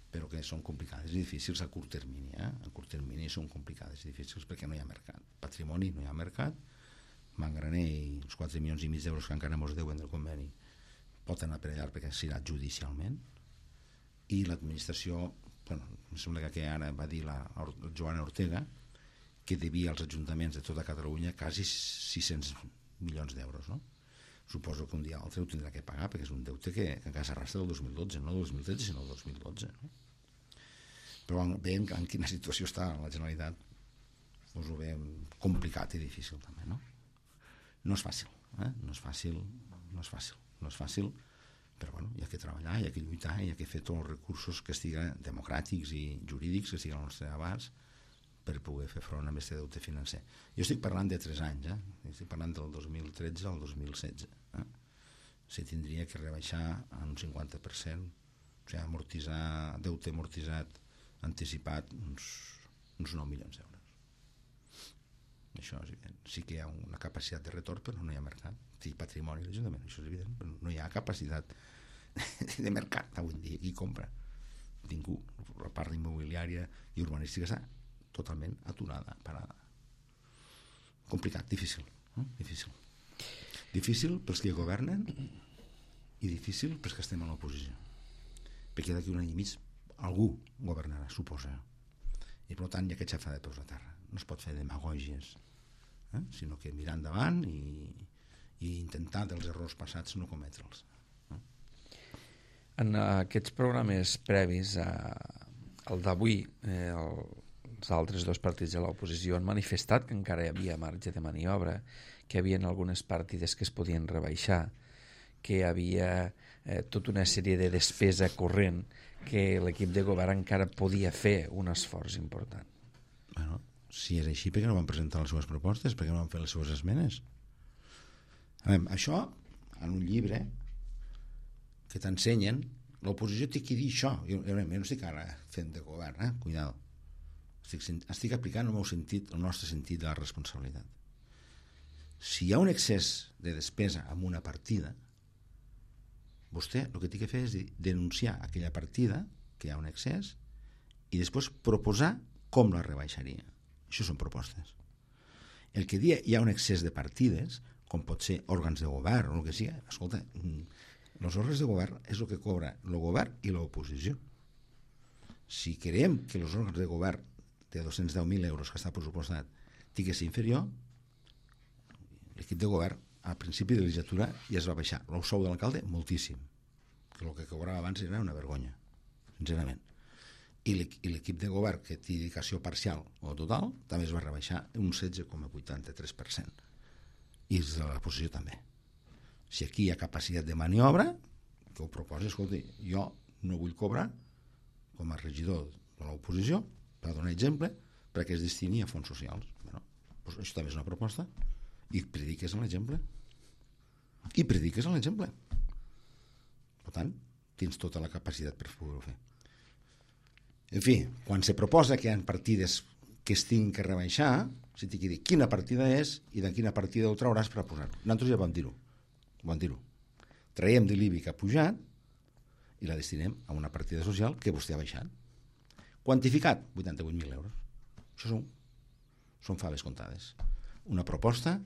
però que són complicades i difícils a curt termini, eh? A curt termini són complicades i difícils perquè no hi ha mercat. Patrimoni no hi ha mercat, Mangraner i els quatre milions i mig d'euros que encara mos deuen del conveni pot anar per allà perquè s'irà judicialment, i l'administració, bueno, em sembla que ara va dir la Joana Ortega que devia als ajuntaments de tota Catalunya quasi sis-cents milions d'euros, no? Suposo que un dia o altre ho tindrà que pagar perquè és un deute que, que encara s'arrastra del dos mil dotze, no del dos mil tretze sinó del dos mil dotze, no? Però veient en quina situació està la Generalitat, us ho veiem complicat i difícil també, no? No és fàcil, eh? no és fàcil, no és fàcil, no és fàcil, però bueno, hi ha que treballar, hi ha que lluitar, hi ha que fer tots els recursos que estiguen democràtics i jurídics que estiguin al nostre abast per poder fer front a aquest deute financer. Jo estic parlant de tres anys, eh? Estic parlant del dos mil tretze al dos mil setze. Eh? Se tindria que rebaixar en un cinquanta per cent, o sigui, amortitzar, deute amortitzat anticipat uns, uns nou milions d'euros. Això és evident. Sí que hi ha una capacitat de retorn, però no hi ha mercat. Sí, patrimoni de l'Ajuntament, això és evident, però no hi ha capacitat de mercat avui dia. Qui compra? Ningú. La part immobiliària i urbanística està totalment aturada, parada. Complicat, difícil. Eh? Difícil. Difícil pels que governen i difícil pels que estem a l'oposició. Perquè d'aquí un any i mig algú governarà, suposa. I per tant hi ha que xafar de peus a terra. No es pot fer demagògies, eh? Sinó que mirar endavant i, i intentar dels errors passats no cometre'ls. Eh? En aquests programes previs a, al d'avui, eh, el, els altres dos partits de l'oposició han manifestat que encara hi havia marge de maniobra, que hi havia algunes partides que es podien rebaixar, que hi havia eh, tota una sèrie de despesa corrent que l'equip de govern encara podia fer un esforç important. Bueno, si és així, per què no van presentar les seves propostes? Per què no van fer les seves esmenes? A veure, això, en un llibre que t'ensenyen, l'oposició té que dir això. Jo, jo no estic ara fent de govern, eh? Cuidado. Estic, estic aplicant el meu sentit, el nostre sentit de la responsabilitat. Si hi ha un excés de despesa en una partida, vostè el que té que fer és denunciar aquella partida que hi ha un excés i després proposar com la rebaixaria. Això són propostes. El que dia hi ha un excés de partides, com pot ser òrgans de govern o el que sigui, escolta, els òrgans de govern és el que cobra el govern i l'oposició. Si creiem que els òrgans de govern de dos-cents deu mil euros que està pressupostat tingués inferior, l'equip de govern al principi de legislatura ja es va baixar el sou de l'alcalde moltíssim, que el que cobrava abans era una vergonya, sincerament. I l'equip de govern que té dedicació parcial o total també es va rebaixar un setze coma vuitanta-tres per cent, i els de l'oposició també. Si aquí hi ha capacitat de maniobra, que ho proposi, escolti, jo no vull cobrar com a regidor de l'oposició, per donar exemple, perquè es destini a fons socials. Bueno, doncs això també és una proposta, i prediques en l'exemple. I prediques en l'exemple. Per tant, tens tota la capacitat per poder-ho fer. En fi, quan se proposa que hi ha partides que es tinguin que rebaixar, se t'hi dir quina partida és i de quina partida ho trauràs per posar-ho. Nosaltres ja vam dir-ho. Vam dir-ho. Traiem de l'I B I que ha pujat i la destinem a una partida social que vostè ha baixat. Quantificat, vuitanta-vuit mil euros. Això són, són faves comptades. Una proposta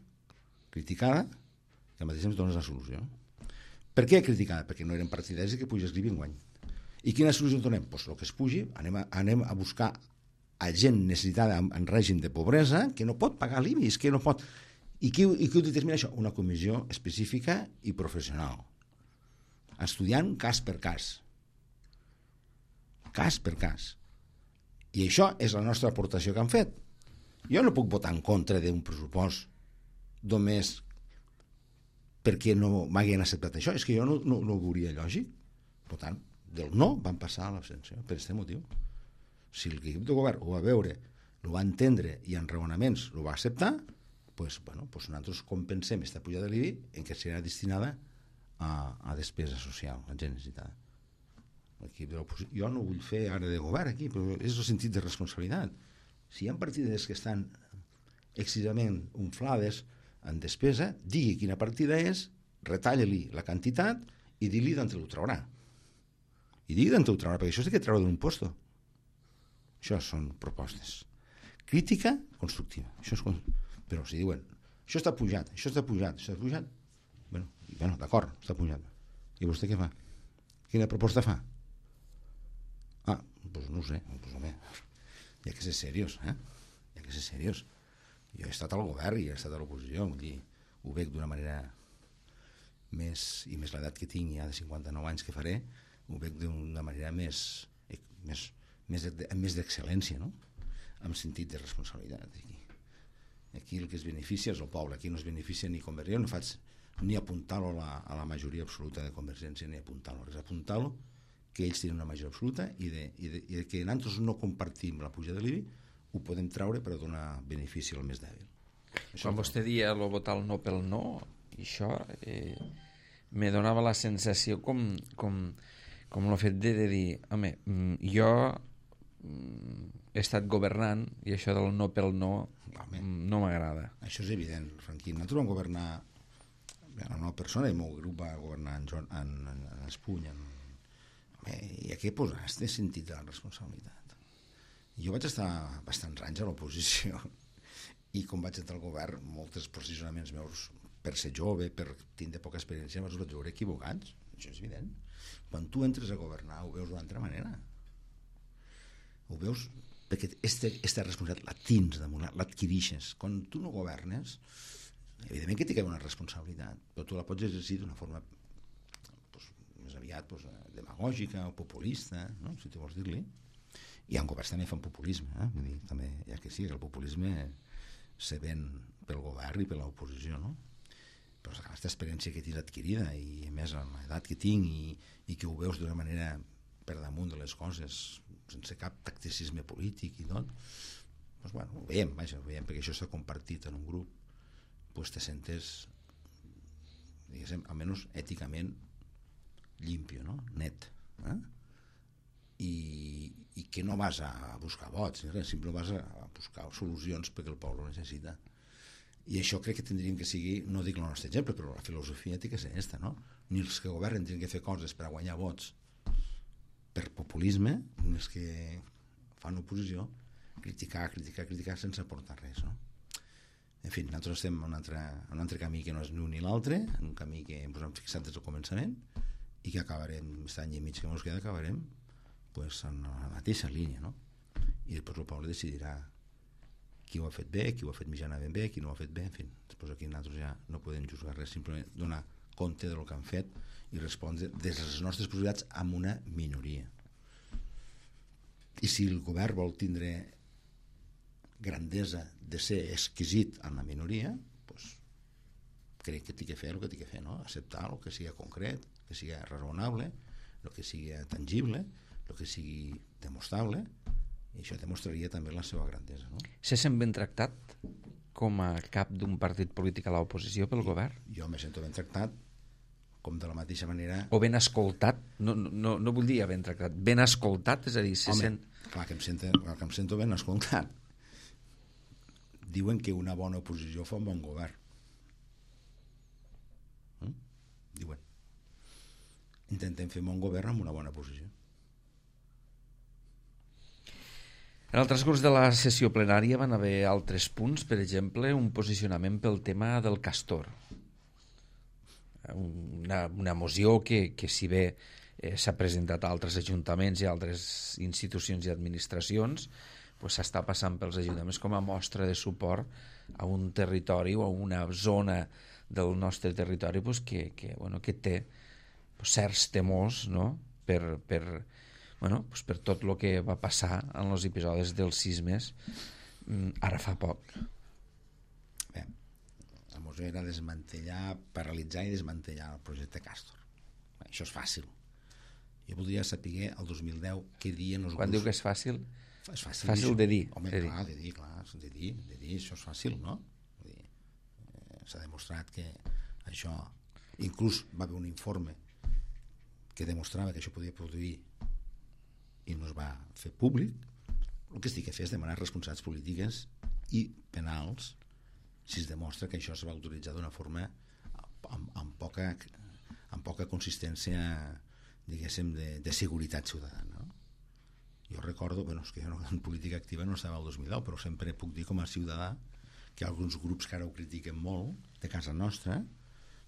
criticada que al mateix temps dones la solució. Per què criticada? Perquè no eren partidaris que pugés l'I B I enguany. I quina solució donem? Doncs el que es pugi, anem a, anem a buscar a gent necessitada en, en règim de pobresa que no pot pagar l'I B I, és que no pot. I qui, i qui ho determina això? Una comissió específica i professional, estudiant cas per cas. Cas per cas. I això és la nostra aportació que han fet. Jo no puc votar en contra d'un pressupost només perquè no m'haguin acceptat això. És que jo no, no, no ho veuria lògic. Per tant, del no van passar a l'absència per aquest motiu. Si l'equip de govern ho va veure, ho va entendre i en raonaments ho va acceptar, pues, bueno, pues nosaltres compensem aquesta pujada de l'I B I en què serà destinada a, a despesa social, a gent necessitada. L'equip de l'oposició, jo no vull fer ara de govern aquí, però és el sentit de responsabilitat. Si hi ha partides que estan excessivament inflades en despesa, digui quina partida és, retalla-li la quantitat i digui d'on ho traurà. I digui d'on ho traurà, perquè això és que treure d'un posto. Això són propostes. Crítica constructiva. Això és... Però si diuen, això està pujat, això està pujat, això està pujat, bueno, bueno d'acord, està pujat. I vostè què fa? Quina proposta fa? Ah, doncs no ho sé, doncs home, hi ha que ser seriós, eh? Hi ha que ser seriós. Jo he estat al govern i he estat a l'oposició, vull dir, ho veig d'una manera més, i més l'edat que tinc ja de cinquanta-nou anys que faré, ho veig d'una manera més, més, més, més d'excel·lència, no? Amb sentit de responsabilitat. Aquí. aquí el que es beneficia és el poble, aquí no es beneficia ni Convergència, no faig ni apuntar-lo a, la, a la majoria absoluta de Convergència, ni apuntar-lo, és apuntar-lo que ells tenen una majoria absoluta i de, i de, i de que nosaltres no compartim la puja de l'I B I, ho podem treure per donar benefici al més dèbil. Això quan vostè dia el votar el no pel no, i això eh, me donava la sensació com, com, com el fet de, de dir, home, jo he estat governant i això del no pel no home, no m'agrada. Això és evident, Franquí. Nosaltres vam governar, la nova persona, el meu grup va governar en, en, en, en Espuny, en, home, i aquí posar este sentit de la responsabilitat. Jo vaig estar bastants anys a l'oposició i com vaig entrar al govern, molts posicionaments meus, per ser jove, per tindre poca experiència, els vaig veure equivocats. Això és evident. Quan tu entres a governar ho veus d'una altra manera. Ho veus perquè aquesta responsabilitat la tens damunt, l'adquirixes. Quan tu no governes, evidentment que té que haver una responsabilitat, però tu la pots exercir d'una forma pues, més aviat pues, demagògica o populista, no? Si tu vols dir-li. I en governs també fan populisme, eh? Vull dir, també, ja que sí, el populisme se ven pel govern i per l'oposició, no? Però aquesta experiència que tinc adquirida i a més amb l'edat que tinc i, i que ho veus d'una manera per damunt de les coses sense cap tacticisme polític i tot, doncs bueno, ho veiem, vaja, ho veiem perquè això s'ha compartit en un grup, doncs te sentes diguéssim, almenys èticament limpio, no? Net, eh? I, i que no vas a buscar vots, simplement vas a buscar solucions perquè el poble ho necessita. I això crec que tindríem que sigui, no dic el nostre exemple, però la filosofia té que ser aquesta, no? Ni els que governen tenen que fer coses per a guanyar vots per populisme, ni els que fan oposició, criticar, criticar, criticar sense aportar res, no? En fi, nosaltres estem en un altre, en un altre camí que no és ni un ni l'altre, en un camí que ens hem fixat des del començament i que acabarem, aquest any i mig que ens queda, acabarem pues, en la mateixa línia, no? i després el poble decidirà qui ho ha fet bé, qui ho ha fet mitjanament bé, qui no ho ha fet bé, en fi, després aquí nosaltres ja no podem juzgar res, simplement donar compte del que han fet i respondre des de les nostres possibilitats amb una minoria. I si el govern vol tindre grandesa de ser exquisit amb la minoria, doncs crec que té que fer el que té que fer, no? Acceptar el que sigui concret, que sigui raonable, el que sigui tangible, el que sigui demostrable, i això demostraria també la seva grandesa, no? Se sent ben tractat com a cap d'un partit polític a l'oposició pel govern? Jo me sento ben tractat, com de la mateixa manera... O ben escoltat? No, no, no vull dir ben tractat, ben escoltat, és a dir, se Home, sent... clar que, em sento, clar que em sento ben escoltat. Diuen que una bona oposició fa un bon govern. Mm? Diuen. Intentem fer un bon govern amb una bona posició. En el transcurs de la sessió plenària van haver altres punts, per exemple, un posicionament pel tema del castor. Una, una moció que, que si bé eh, s'ha presentat a altres ajuntaments i a altres institucions i administracions, pues s'està passant pels ajuntaments com a mostra de suport a un territori o a una zona del nostre territori pues, que, que, bueno, que té pues, certs temors, no? per, per, bueno, pues, per tot el que va passar en els episodis dels sismes ara fa poc. Bé, la moció era desmantellar, paralitzar i desmantellar el projecte Castor. Bé, això és fàcil. Jo voldria saber el dos mil deu què diuen els Quan grups... diu que és fàcil? És fàcil, fàcil de dir. Home, de dir. clar, de dir, clar, de dir, de dir, això és fàcil, no? Vull dir, eh, s'ha demostrat que això... Inclús va haver un informe que demostrava que això podia produir i no es va fer públic. El que es té que fer és demanar responsabilitats polítiques i penals si es demostra que això es va utilitzar d'una forma amb, amb, poca, amb poca consistència, diguéssim, de, de seguretat ciutadana, no? Jo recordo, bueno, és que jo no, en política activa no estava el dos mil deu, però sempre puc dir com a ciutadà que alguns grups que ara ho critiquen molt, de casa nostra,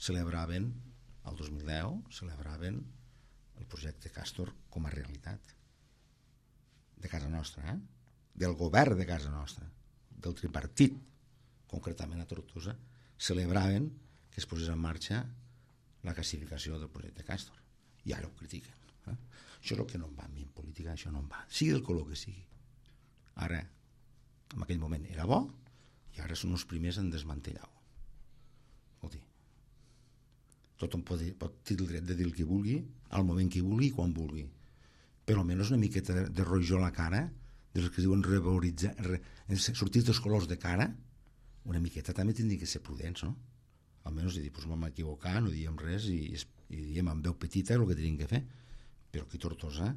celebraven, el dos mil deu, celebraven el projecte Castor com a realitat. De casa nostra, eh? Del govern de casa nostra, del tripartit, concretament a Tortosa, celebraven que es posés en marxa la classificació del projecte Castor. I ara ho critiquen. Eh? Això és el que no em va a mi en política, això no em va. Sigui el color que sigui. Ara, en aquell moment era bo, i ara són els primers en desmantellar-ho. Vol dir, tothom pot, pot tenir el dret de dir el que vulgui, al moment que vulgui i quan vulgui. Però almenys una miqueta de, de rojor a la cara, dels que diuen revaloritzar, re, sortir dels colors de cara, una miqueta també tindria que ser prudents, no? Almenys dir, doncs vam equivocar, no diem res i, i diem amb veu petita el que tenim que fer. Però aquí a Tortosa,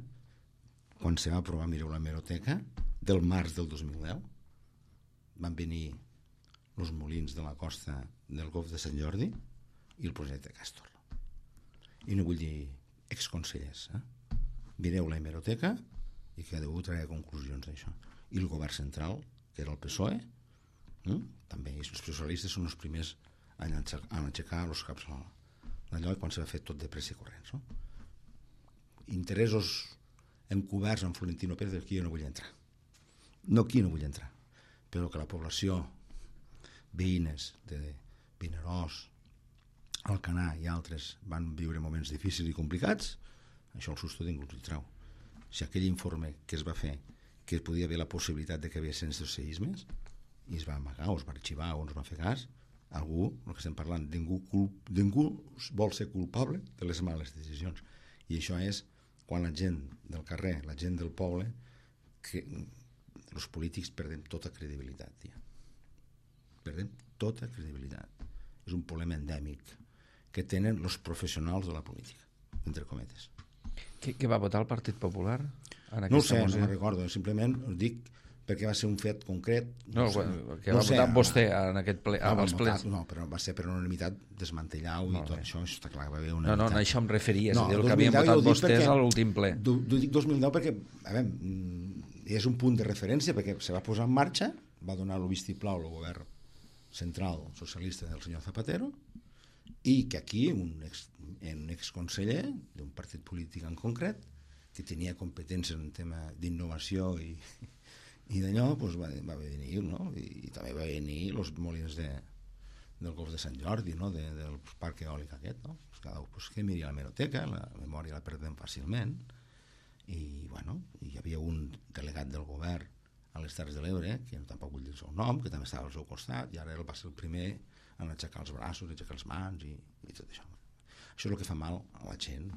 quan se va aprovar, mireu la hemeroteca, del març del dos mil deu, van venir els molins de la costa del Golf de Sant Jordi i el projecte Castor. I no vull dir exconsellers, eh? Mireu la hemeroteca i cada un traia conclusions d'això. I el govern central, que era el P S O E, eh? També els socialistes són els primers a aixecar els caps d'allò quan s'ha fet tot de pressa i corrents, no? Interessos encoberts amb Florentino Pérez, aquí jo no vull entrar. No, aquí no vull entrar. Però que la població, veïnes de Vinaròs, Alcanar i altres van viure moments difícils i complicats, això el susto ningú ens hi treu. Si aquell informe que es va fer, que podia haver la possibilitat de que hi hagués seismes, i es va amagar o es va arxivar o no es va fer cas, algú, el que estem parlant, ningú, culp, ningú vol ser culpable de les males decisions. I això és quan la gent del carrer, la gent del poble, que els polítics perdem tota credibilitat, tia. Perdem tota credibilitat. És un problema endèmic que tenen els professionals de la política, entre cometes. Què, què va votar el Partit Popular? En No ho sé, moció? no me'n recordo, simplement us dic perquè va ser un fet concret. No, no sé, que no va sé, votar no, vostè en aquest ple, no, als plens. No, però va ser per unanimitat desmantellar-ho i tot això, això està clar, va haver No, no, no, això em referia, és no, a dir, el que havien votat vostès perquè, a l'últim ple. Du, du, dic dos mil deu perquè, a veure, és un punt de referència perquè se va posar en marxa, va donar el vistiplau al govern central socialista del senyor Zapatero, i que aquí un ex, un exconseller d'un partit polític en concret, que tenia competències en tema d'innovació i, I d'allò doncs, va, va venir, no? I, i també va venir els molins de, del Golf de Sant Jordi, no? de, del parc eòlic aquest, no? Pues cada un pues, que miri a la hemeroteca, la memòria la perdem fàcilment, i bueno, hi havia un delegat del govern a les Terres de l'Ebre, que no tampoc vull dir el seu nom, que també estava al seu costat, i ara ell va ser el primer en aixecar els braços, aixecar les mans i, i tot això. Això és el que fa mal a la gent,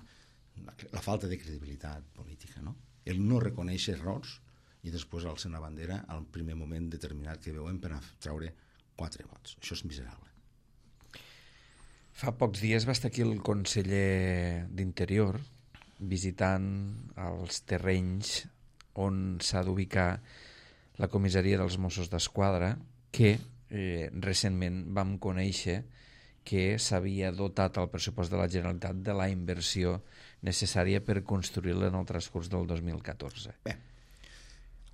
la, la falta de credibilitat política, no? El no reconèixer errors i després alça una bandera al primer moment determinat que veuen per a treure quatre vots. Això és miserable. Fa pocs dies va estar aquí el conseller d'Interior visitant els terrenys on s'ha d'ubicar la comissaria dels Mossos d'Esquadra, que eh, recentment vam conèixer que s'havia dotat al pressupost de la Generalitat de la inversió necessària per construir-la en el transcurs del dos mil catorze. Bé,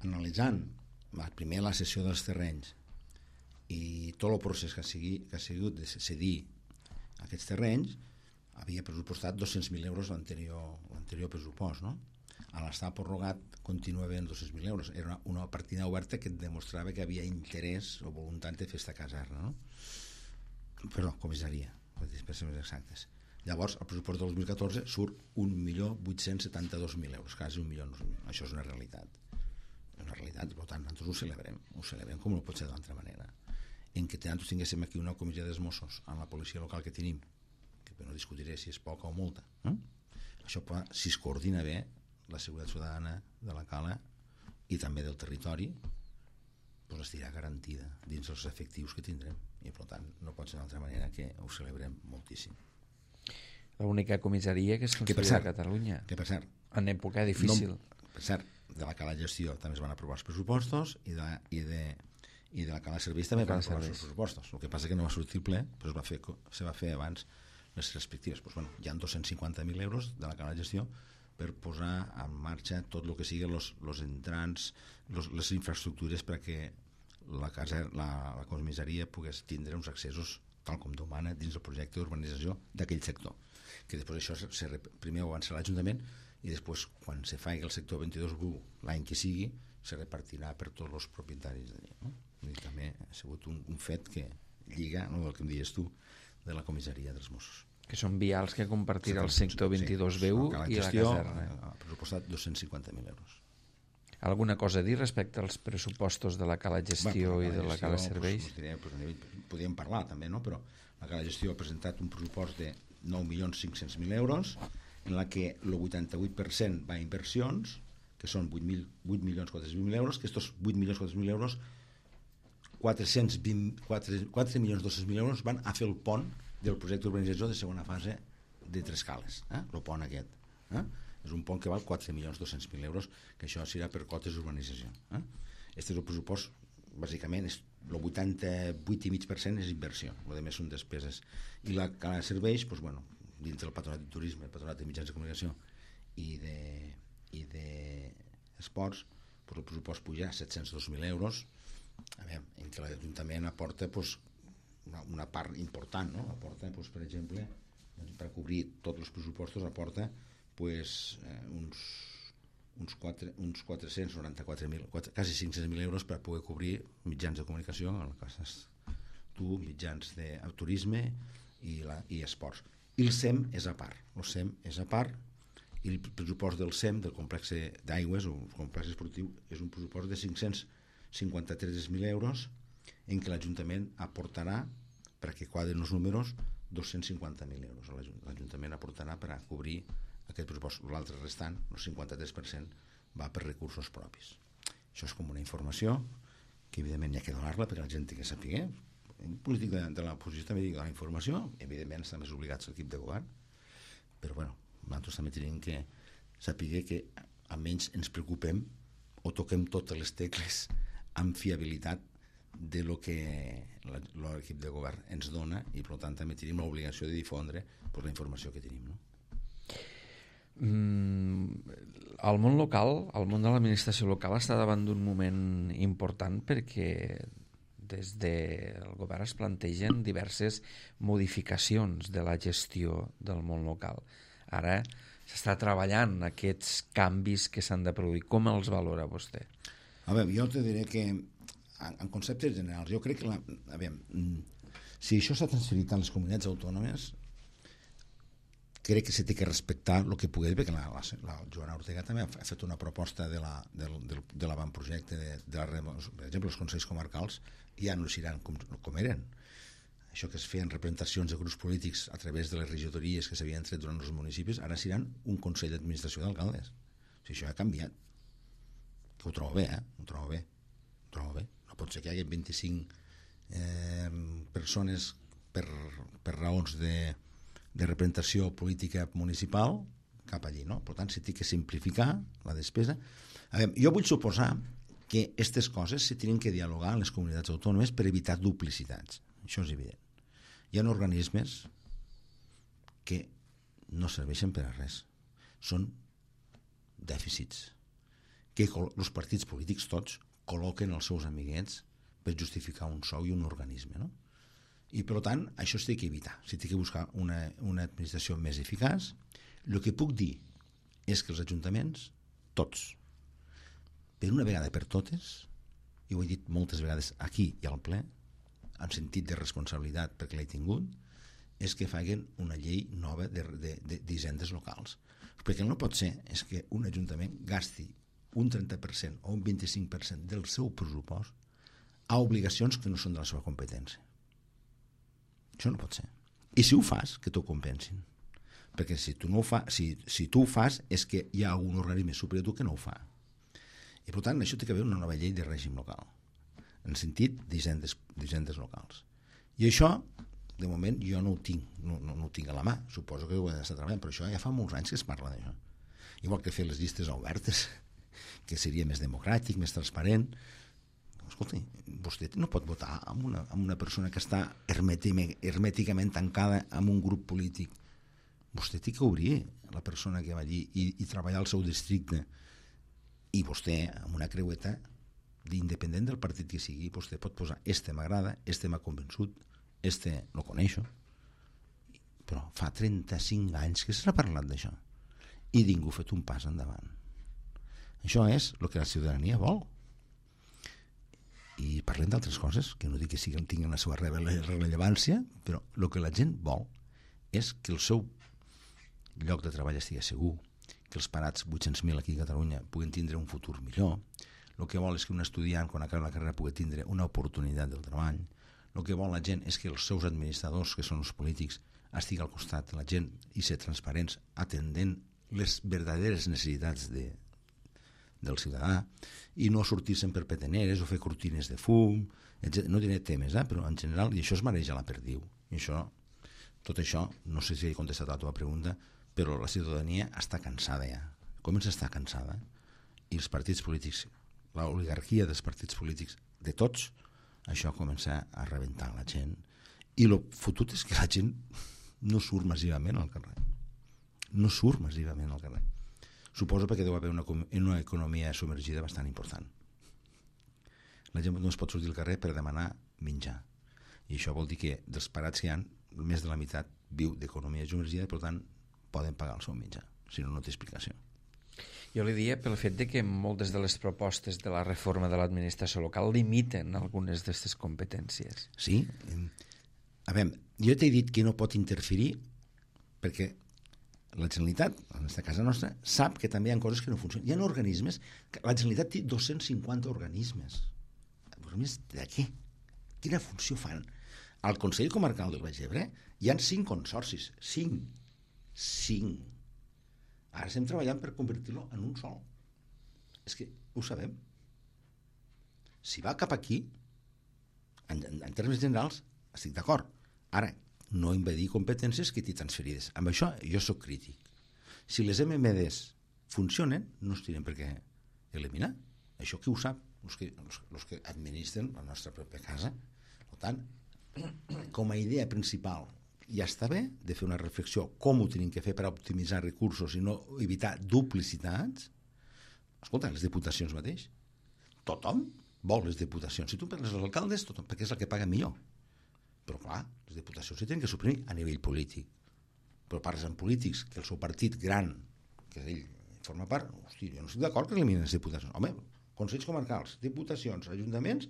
analitzant primer la cessió dels terrenys i tot el procés que ha, sigui, que ha sigut de cedir aquests terrenys, havia pressupostat dos-cents mil euros l'anterior, l'anterior pressupost, no? A l'estar prorrogat continua havent dos-cents mil euros. Era una, una partida oberta que et demostrava que havia interès o voluntat de fer esta caserna, no? Perdó, comissaria, per ser més exactes. Llavors, el pressupost del dos mil catorze surt un milió vuit-cents setanta-dos mil euros, quasi un milió. Això és una realitat. És una realitat, per tant, nosaltres ho celebrem. Ho celebrem com no pot ser d'altra manera. En què nosaltres tinguéssim aquí una comissió dels Mossos amb la policia local que tenim, que no discutiré si és poca o molta, eh? Això, si es coordina bé, la seguretat ciutadana de la Cala i també del territori, doncs estarà garantida dins els efectius que tindrem, i per tant no pot ser d'altra manera que ho celebrem moltíssim. L'única comissaria que es construirà a Catalunya, que per cert, en època difícil. No, per cert, de la Cala Gestió també es van aprovar els pressupostos i de, i de, i de la Cala Serveis també van aprovar els pressupostos. El que passa que no va sortir el ple, però es va fer, se va fer abans les respectives. Pues, bueno, hi ha dos-cents cinquanta mil euros de la Cala Gestió per posar en marxa tot el que siguin los, los entrants, los, les infraestructures perquè la, casa, la, la comissaria pogués tindre uns accessos tal com demana dins del projecte d'urbanització d'aquell sector. Que després això se, se, primer ho avançarà l'Ajuntament i després, quan se faci el sector vint-i-dos u l'any que sigui, se repartirà per tots els propietaris d'allà, no? I també ha sigut un, un fet que lliga, no, el que em dius tu, de la comissaria dels Mossos. Que són vials que compartirà el sector vint-i-dos B u sí, i la caserna. Ha pressupostat dos-cents cinquanta mil euros. Alguna cosa a dir respecte als pressupostos de la Cala Gestió bueno, i de la Cala Serveis? Pues, diré, pues, podríem parlar també, no? Però la Cala Gestió ha presentat un pressupost de nou milions cinc-cents mil euros, en la que el vuitanta-vuit per cent va a inversions, que són vuit milions quatre-cents mil euros, que estos vuit milions quatre-cents mil euros, quatre milions dos-cents mil euros van a fer el pont del projecte d'urbanització de segona fase de Tres Cales, eh? El pont aquest. Eh? És un pont que val quatre milions dos-cents mil euros, que això serà per cotes d'urbanització. Eh? Este és el pressupost, bàsicament, és el vuitanta-vuit coma cinc per cent és inversió, el més són despeses. I la Cala de Serveis, doncs, bueno, dins del Patronat de Turisme, el Patronat de Mitjans de Comunicació i de, i de esports, doncs el pressupost puja a set-cents dos mil euros, a veure, en què l'Ajuntament aporta doncs, una, una part important, no? Aporta, doncs, per exemple, per cobrir tots els pressupostos, aporta pues, eh, uns, uns, quatre, uns quatre-cents noranta-quatre mil, quasi cinc-cents mil euros per poder cobrir mitjans de comunicació, en el cas tu, mitjans de turisme i, la, i esports. I el S E M és a part. El S E M és a part i el pressupost del S E M, del complex d'aigües o complex esportiu, és un pressupost de cinc-cents cinquanta-tres mil euros en què l'Ajuntament aportarà, perquè quadren els números, dos-cents cinquanta mil euros. L'Ajuntament aportarà per a cobrir aquest pressupost. L'altre restant, el cinquanta-tres per cent, va per recursos propis. Això és com una informació que evidentment hi ha que donar-la perquè la gent té que saber. En polític de, de l'oposició també dic la informació, evidentment està més obligats l'equip de govern, però bueno, nosaltres també tenim que saber que almenys ens preocupem o toquem totes les tecles amb fiabilitat de lo que l'equip de govern ens dona i per tant també tenim l'obligació de difondre pues, la informació que tenim, no? Mm, el món local, el món de l'administració local està davant d'un moment important perquè des del govern es plantegen diverses modificacions de la gestió del món local. Ara s'està treballant aquests canvis que s'han de produir. Com els valora vostè? A veure, jo te diré que en, en conceptes generals, jo crec que la, a veure, si això s'ha transferit a les comunitats autònomes, crec que se té que respectar el que pugui dir, perquè la, la, la Joana Ortega també ha fet una proposta de, la, del, del, de l'avantprojecte de, de la, per exemple, els consells comarcals ja no seran com, com eren. Això que es feien representacions de grups polítics a través de les regidories que s'havien tret durant els municipis, ara seran un consell d'administració d'alcaldes. O sigui, això ha canviat. Que ho trobo bé, eh? Ho trobo bé. Ho trobo bé. No pot ser que hi hagi vint-i-cinc eh, persones per, per raons de, de representació política municipal cap allí, no? Per tant, s'ha de simplificar la despesa. A veure, jo vull suposar que aquestes coses se tenen que dialogar en les comunitats autònomes per evitar duplicitats. Això és evident. Hi ha organismes que no serveixen per a res. Són dèficits que els partits polítics tots col·loquen els seus amiguets per justificar un sou i un organisme, no? I per tant, això s'ha de evitar. S'ha de buscar una, una administració més eficaç. El que puc dir és que els ajuntaments, tots, per una vegada per totes, i ho he dit moltes vegades aquí i al ple, en sentit de responsabilitat perquè l'he tingut, és que facin una llei nova d'hisendes locals. Perquè el no pot ser és que un ajuntament gasti un trenta per cent o un vint-i-cinc per cent del seu pressupost a obligacions que no són de la seva competència. Això no pot ser. I si ho fas, que t'ho compensin. Perquè si tu, no ho fa, si, si tu ho fas és que hi ha un organisme superior a tu que no ho fa. I per tant, això té que haver una nova llei de règim local, en sentit d'hisendes locals. I això, de moment, jo no ho tinc, no, no, no ho tinc a la mà. Suposo que ho he d'estar treballant, però això ja fa molts anys que es parla d'això. Igual que fer les llistes obertes, que seria més democràtic, més transparent. Escolta, vostè no pot votar amb una, amb una persona que està hermèticament tancada en un grup polític. Vostè té que obrir la persona que va allí i, i treballar al seu districte. I vostè, amb una creueta, d'independent del partit que sigui, vostè pot posar este m'agrada, este m'ha convençut, este no coneixo. Però fa trenta-cinc anys que s'ha parlat d'això i ningú ha fet un pas endavant. Això és el que la ciutadania vol. I parlem d'altres coses, que no dic que siguin, tinguin la seva rellevància, però el que la gent vol és que el seu lloc de treball estigui segur, que els parats vuit-cents mil aquí a Catalunya puguin tindre un futur millor. El que vol és que un estudiant, quan acabi la carrera, pugui tindre una oportunitat del treball. El que vol la gent és que els seus administradors, que són els polítics, estigui al costat de la gent i ser transparents, atendent les verdaderes necessitats de, del ciutadà, i no sortir-se'n per peteneres o fer cortines de fum, etcètera. No diré temes, eh? Però en general, i això es mareja la perdiu. I això, tot això, no sé si he contestat a la teva pregunta, però la ciutadania està cansada ja. Comença a estar cansada. I els partits polítics, l'oligarquia dels partits polítics, de tots, això comença a rebentar la gent. I el fotut és que la gent no surt massivament al carrer. No surt massivament al carrer. Suposo perquè deu haver una, una economia submergida bastant important. La gent no es pot sortir al carrer per demanar menjar. I això vol dir que dels parats que hi ha, més de la meitat viu d'economia submergida, per tant, poden pagar el seu menjar. Si no, no té explicació. Jo li diria pel fet de que moltes de les propostes de la reforma de l'administració local limiten algunes d'aquestes competències. Sí. A veure, jo t'he dit que no pot interferir perquè la Generalitat, en aquesta casa nostra, sap que també hi ha coses que no funcionen. Hi ha organismes, la Generalitat té dos-cents cinquanta organismes. Organismes de què? Quina funció fan? Al Consell Comarcal del Baix Ebre hi ha cinc consorcis. Cinc. Cinc. Ara estem treballant per convertir-lo en un sol. És que ho sabem. Si va cap aquí, en, en, en termes generals, estic d'acord. Ara, no invadir competències que t'hi transferides. Amb això jo sóc crític. Si les M M Ds funcionen, no es tenen per què eliminar. Això qui ho sap? Els que, els, els que administren la nostra pròpia casa. Per tant, com a idea principal, ja està bé de fer una reflexió com ho tenim que fer per optimitzar recursos i no evitar duplicitats. Escolta, les diputacions mateix. Tothom vol les diputacions. Si tu parles dels alcaldes, tothom, perquè és el que paga millor. Però clar, les diputacions s'hi tenen que suprimir a nivell polític. Però parles amb polítics que el seu partit gran, que ell forma part, hosti, jo no estic d'acord que eliminen les diputacions. Home, Consells comarcals, diputacions, ajuntaments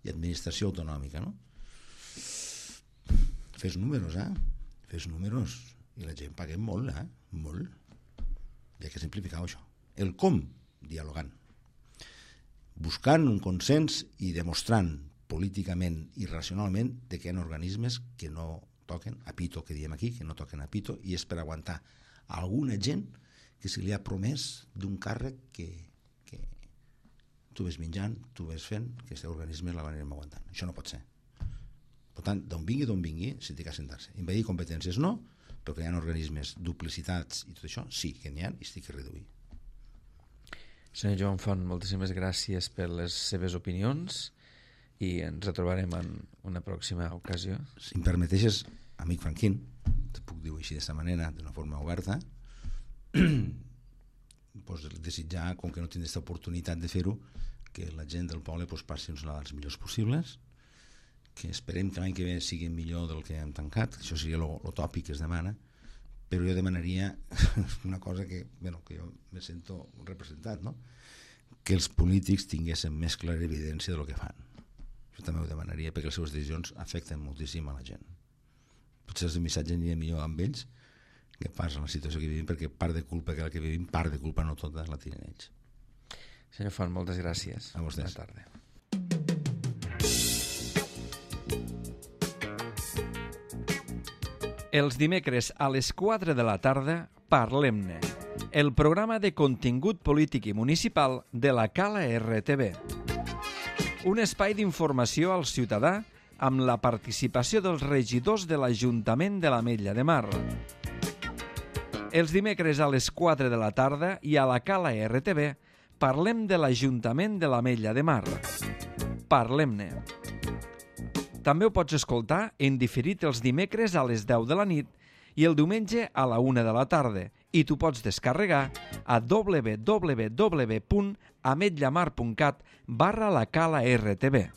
i administració autonòmica, no? Fes números, eh? Fes números. I la gent paguem molt, eh? Molt. Hi ha que simplificar això. El com, dialogant. Buscant un consens i demostrant políticament i racionalment de que hi ha organismes que no toquen a pito, que diem aquí, que no toquen a pito, i és per aguantar alguna gent que se li ha promès d'un càrrec que, que tu ves menjant, tu ves fent, que aquest organisme la anirem aguantant. Això no pot ser. Per tant, d'on vingui, d'on vingui, se té que assentar-se. Invadir competències no, però que hi ha organismes, duplicitats i tot això, sí que n'hi ha i s'ha que reduir. Senyor Joan Font, moltíssimes gràcies per les seves opinions i ens retrobarem en una pròxima ocasió. Si em permeteixes, amic Franquín, te puc dir així d'aquesta manera, d'una forma oberta, pues, desitjar, com que no tinc aquesta oportunitat de fer-ho, que la gent del poble pues, passi uns Nadals millors possibles, que esperem que l'any que ve sigui millor del que hem tancat, això seria lo, lo tòpic que es demana, però jo demanaria una cosa que, bueno, que jo me sento representat, no? Que els polítics tinguessin més clara evidència de lo que fan. Jo també ho demanaria perquè les seves decisions afecten moltíssim a la gent. Potser el missatge aniria millor amb ells que pas en la situació que vivim, perquè part de culpa que la que vivim, part de culpa no tota la tiren ells. Senyor Font, moltes gràcies. A vostès. Bona tarda. Els dimecres a les quatre de la tarda, Parlem-ne, el programa de contingut polític i municipal de la Cala R T V. Un espai d'informació al ciutadà amb la participació dels regidors de l'Ajuntament de l'Ametlla de Mar. Els dimecres a les quatre de la tarda i a la Cala R T V parlem de l'Ajuntament de l'Ametlla de Mar. Parlem-ne. També ho pots escoltar en diferit els dimecres a les deu de la nit i el diumenge a la una de la tarda i t'ho pots descarregar a w w w punt ametlamar punt cat barra la cala R T V.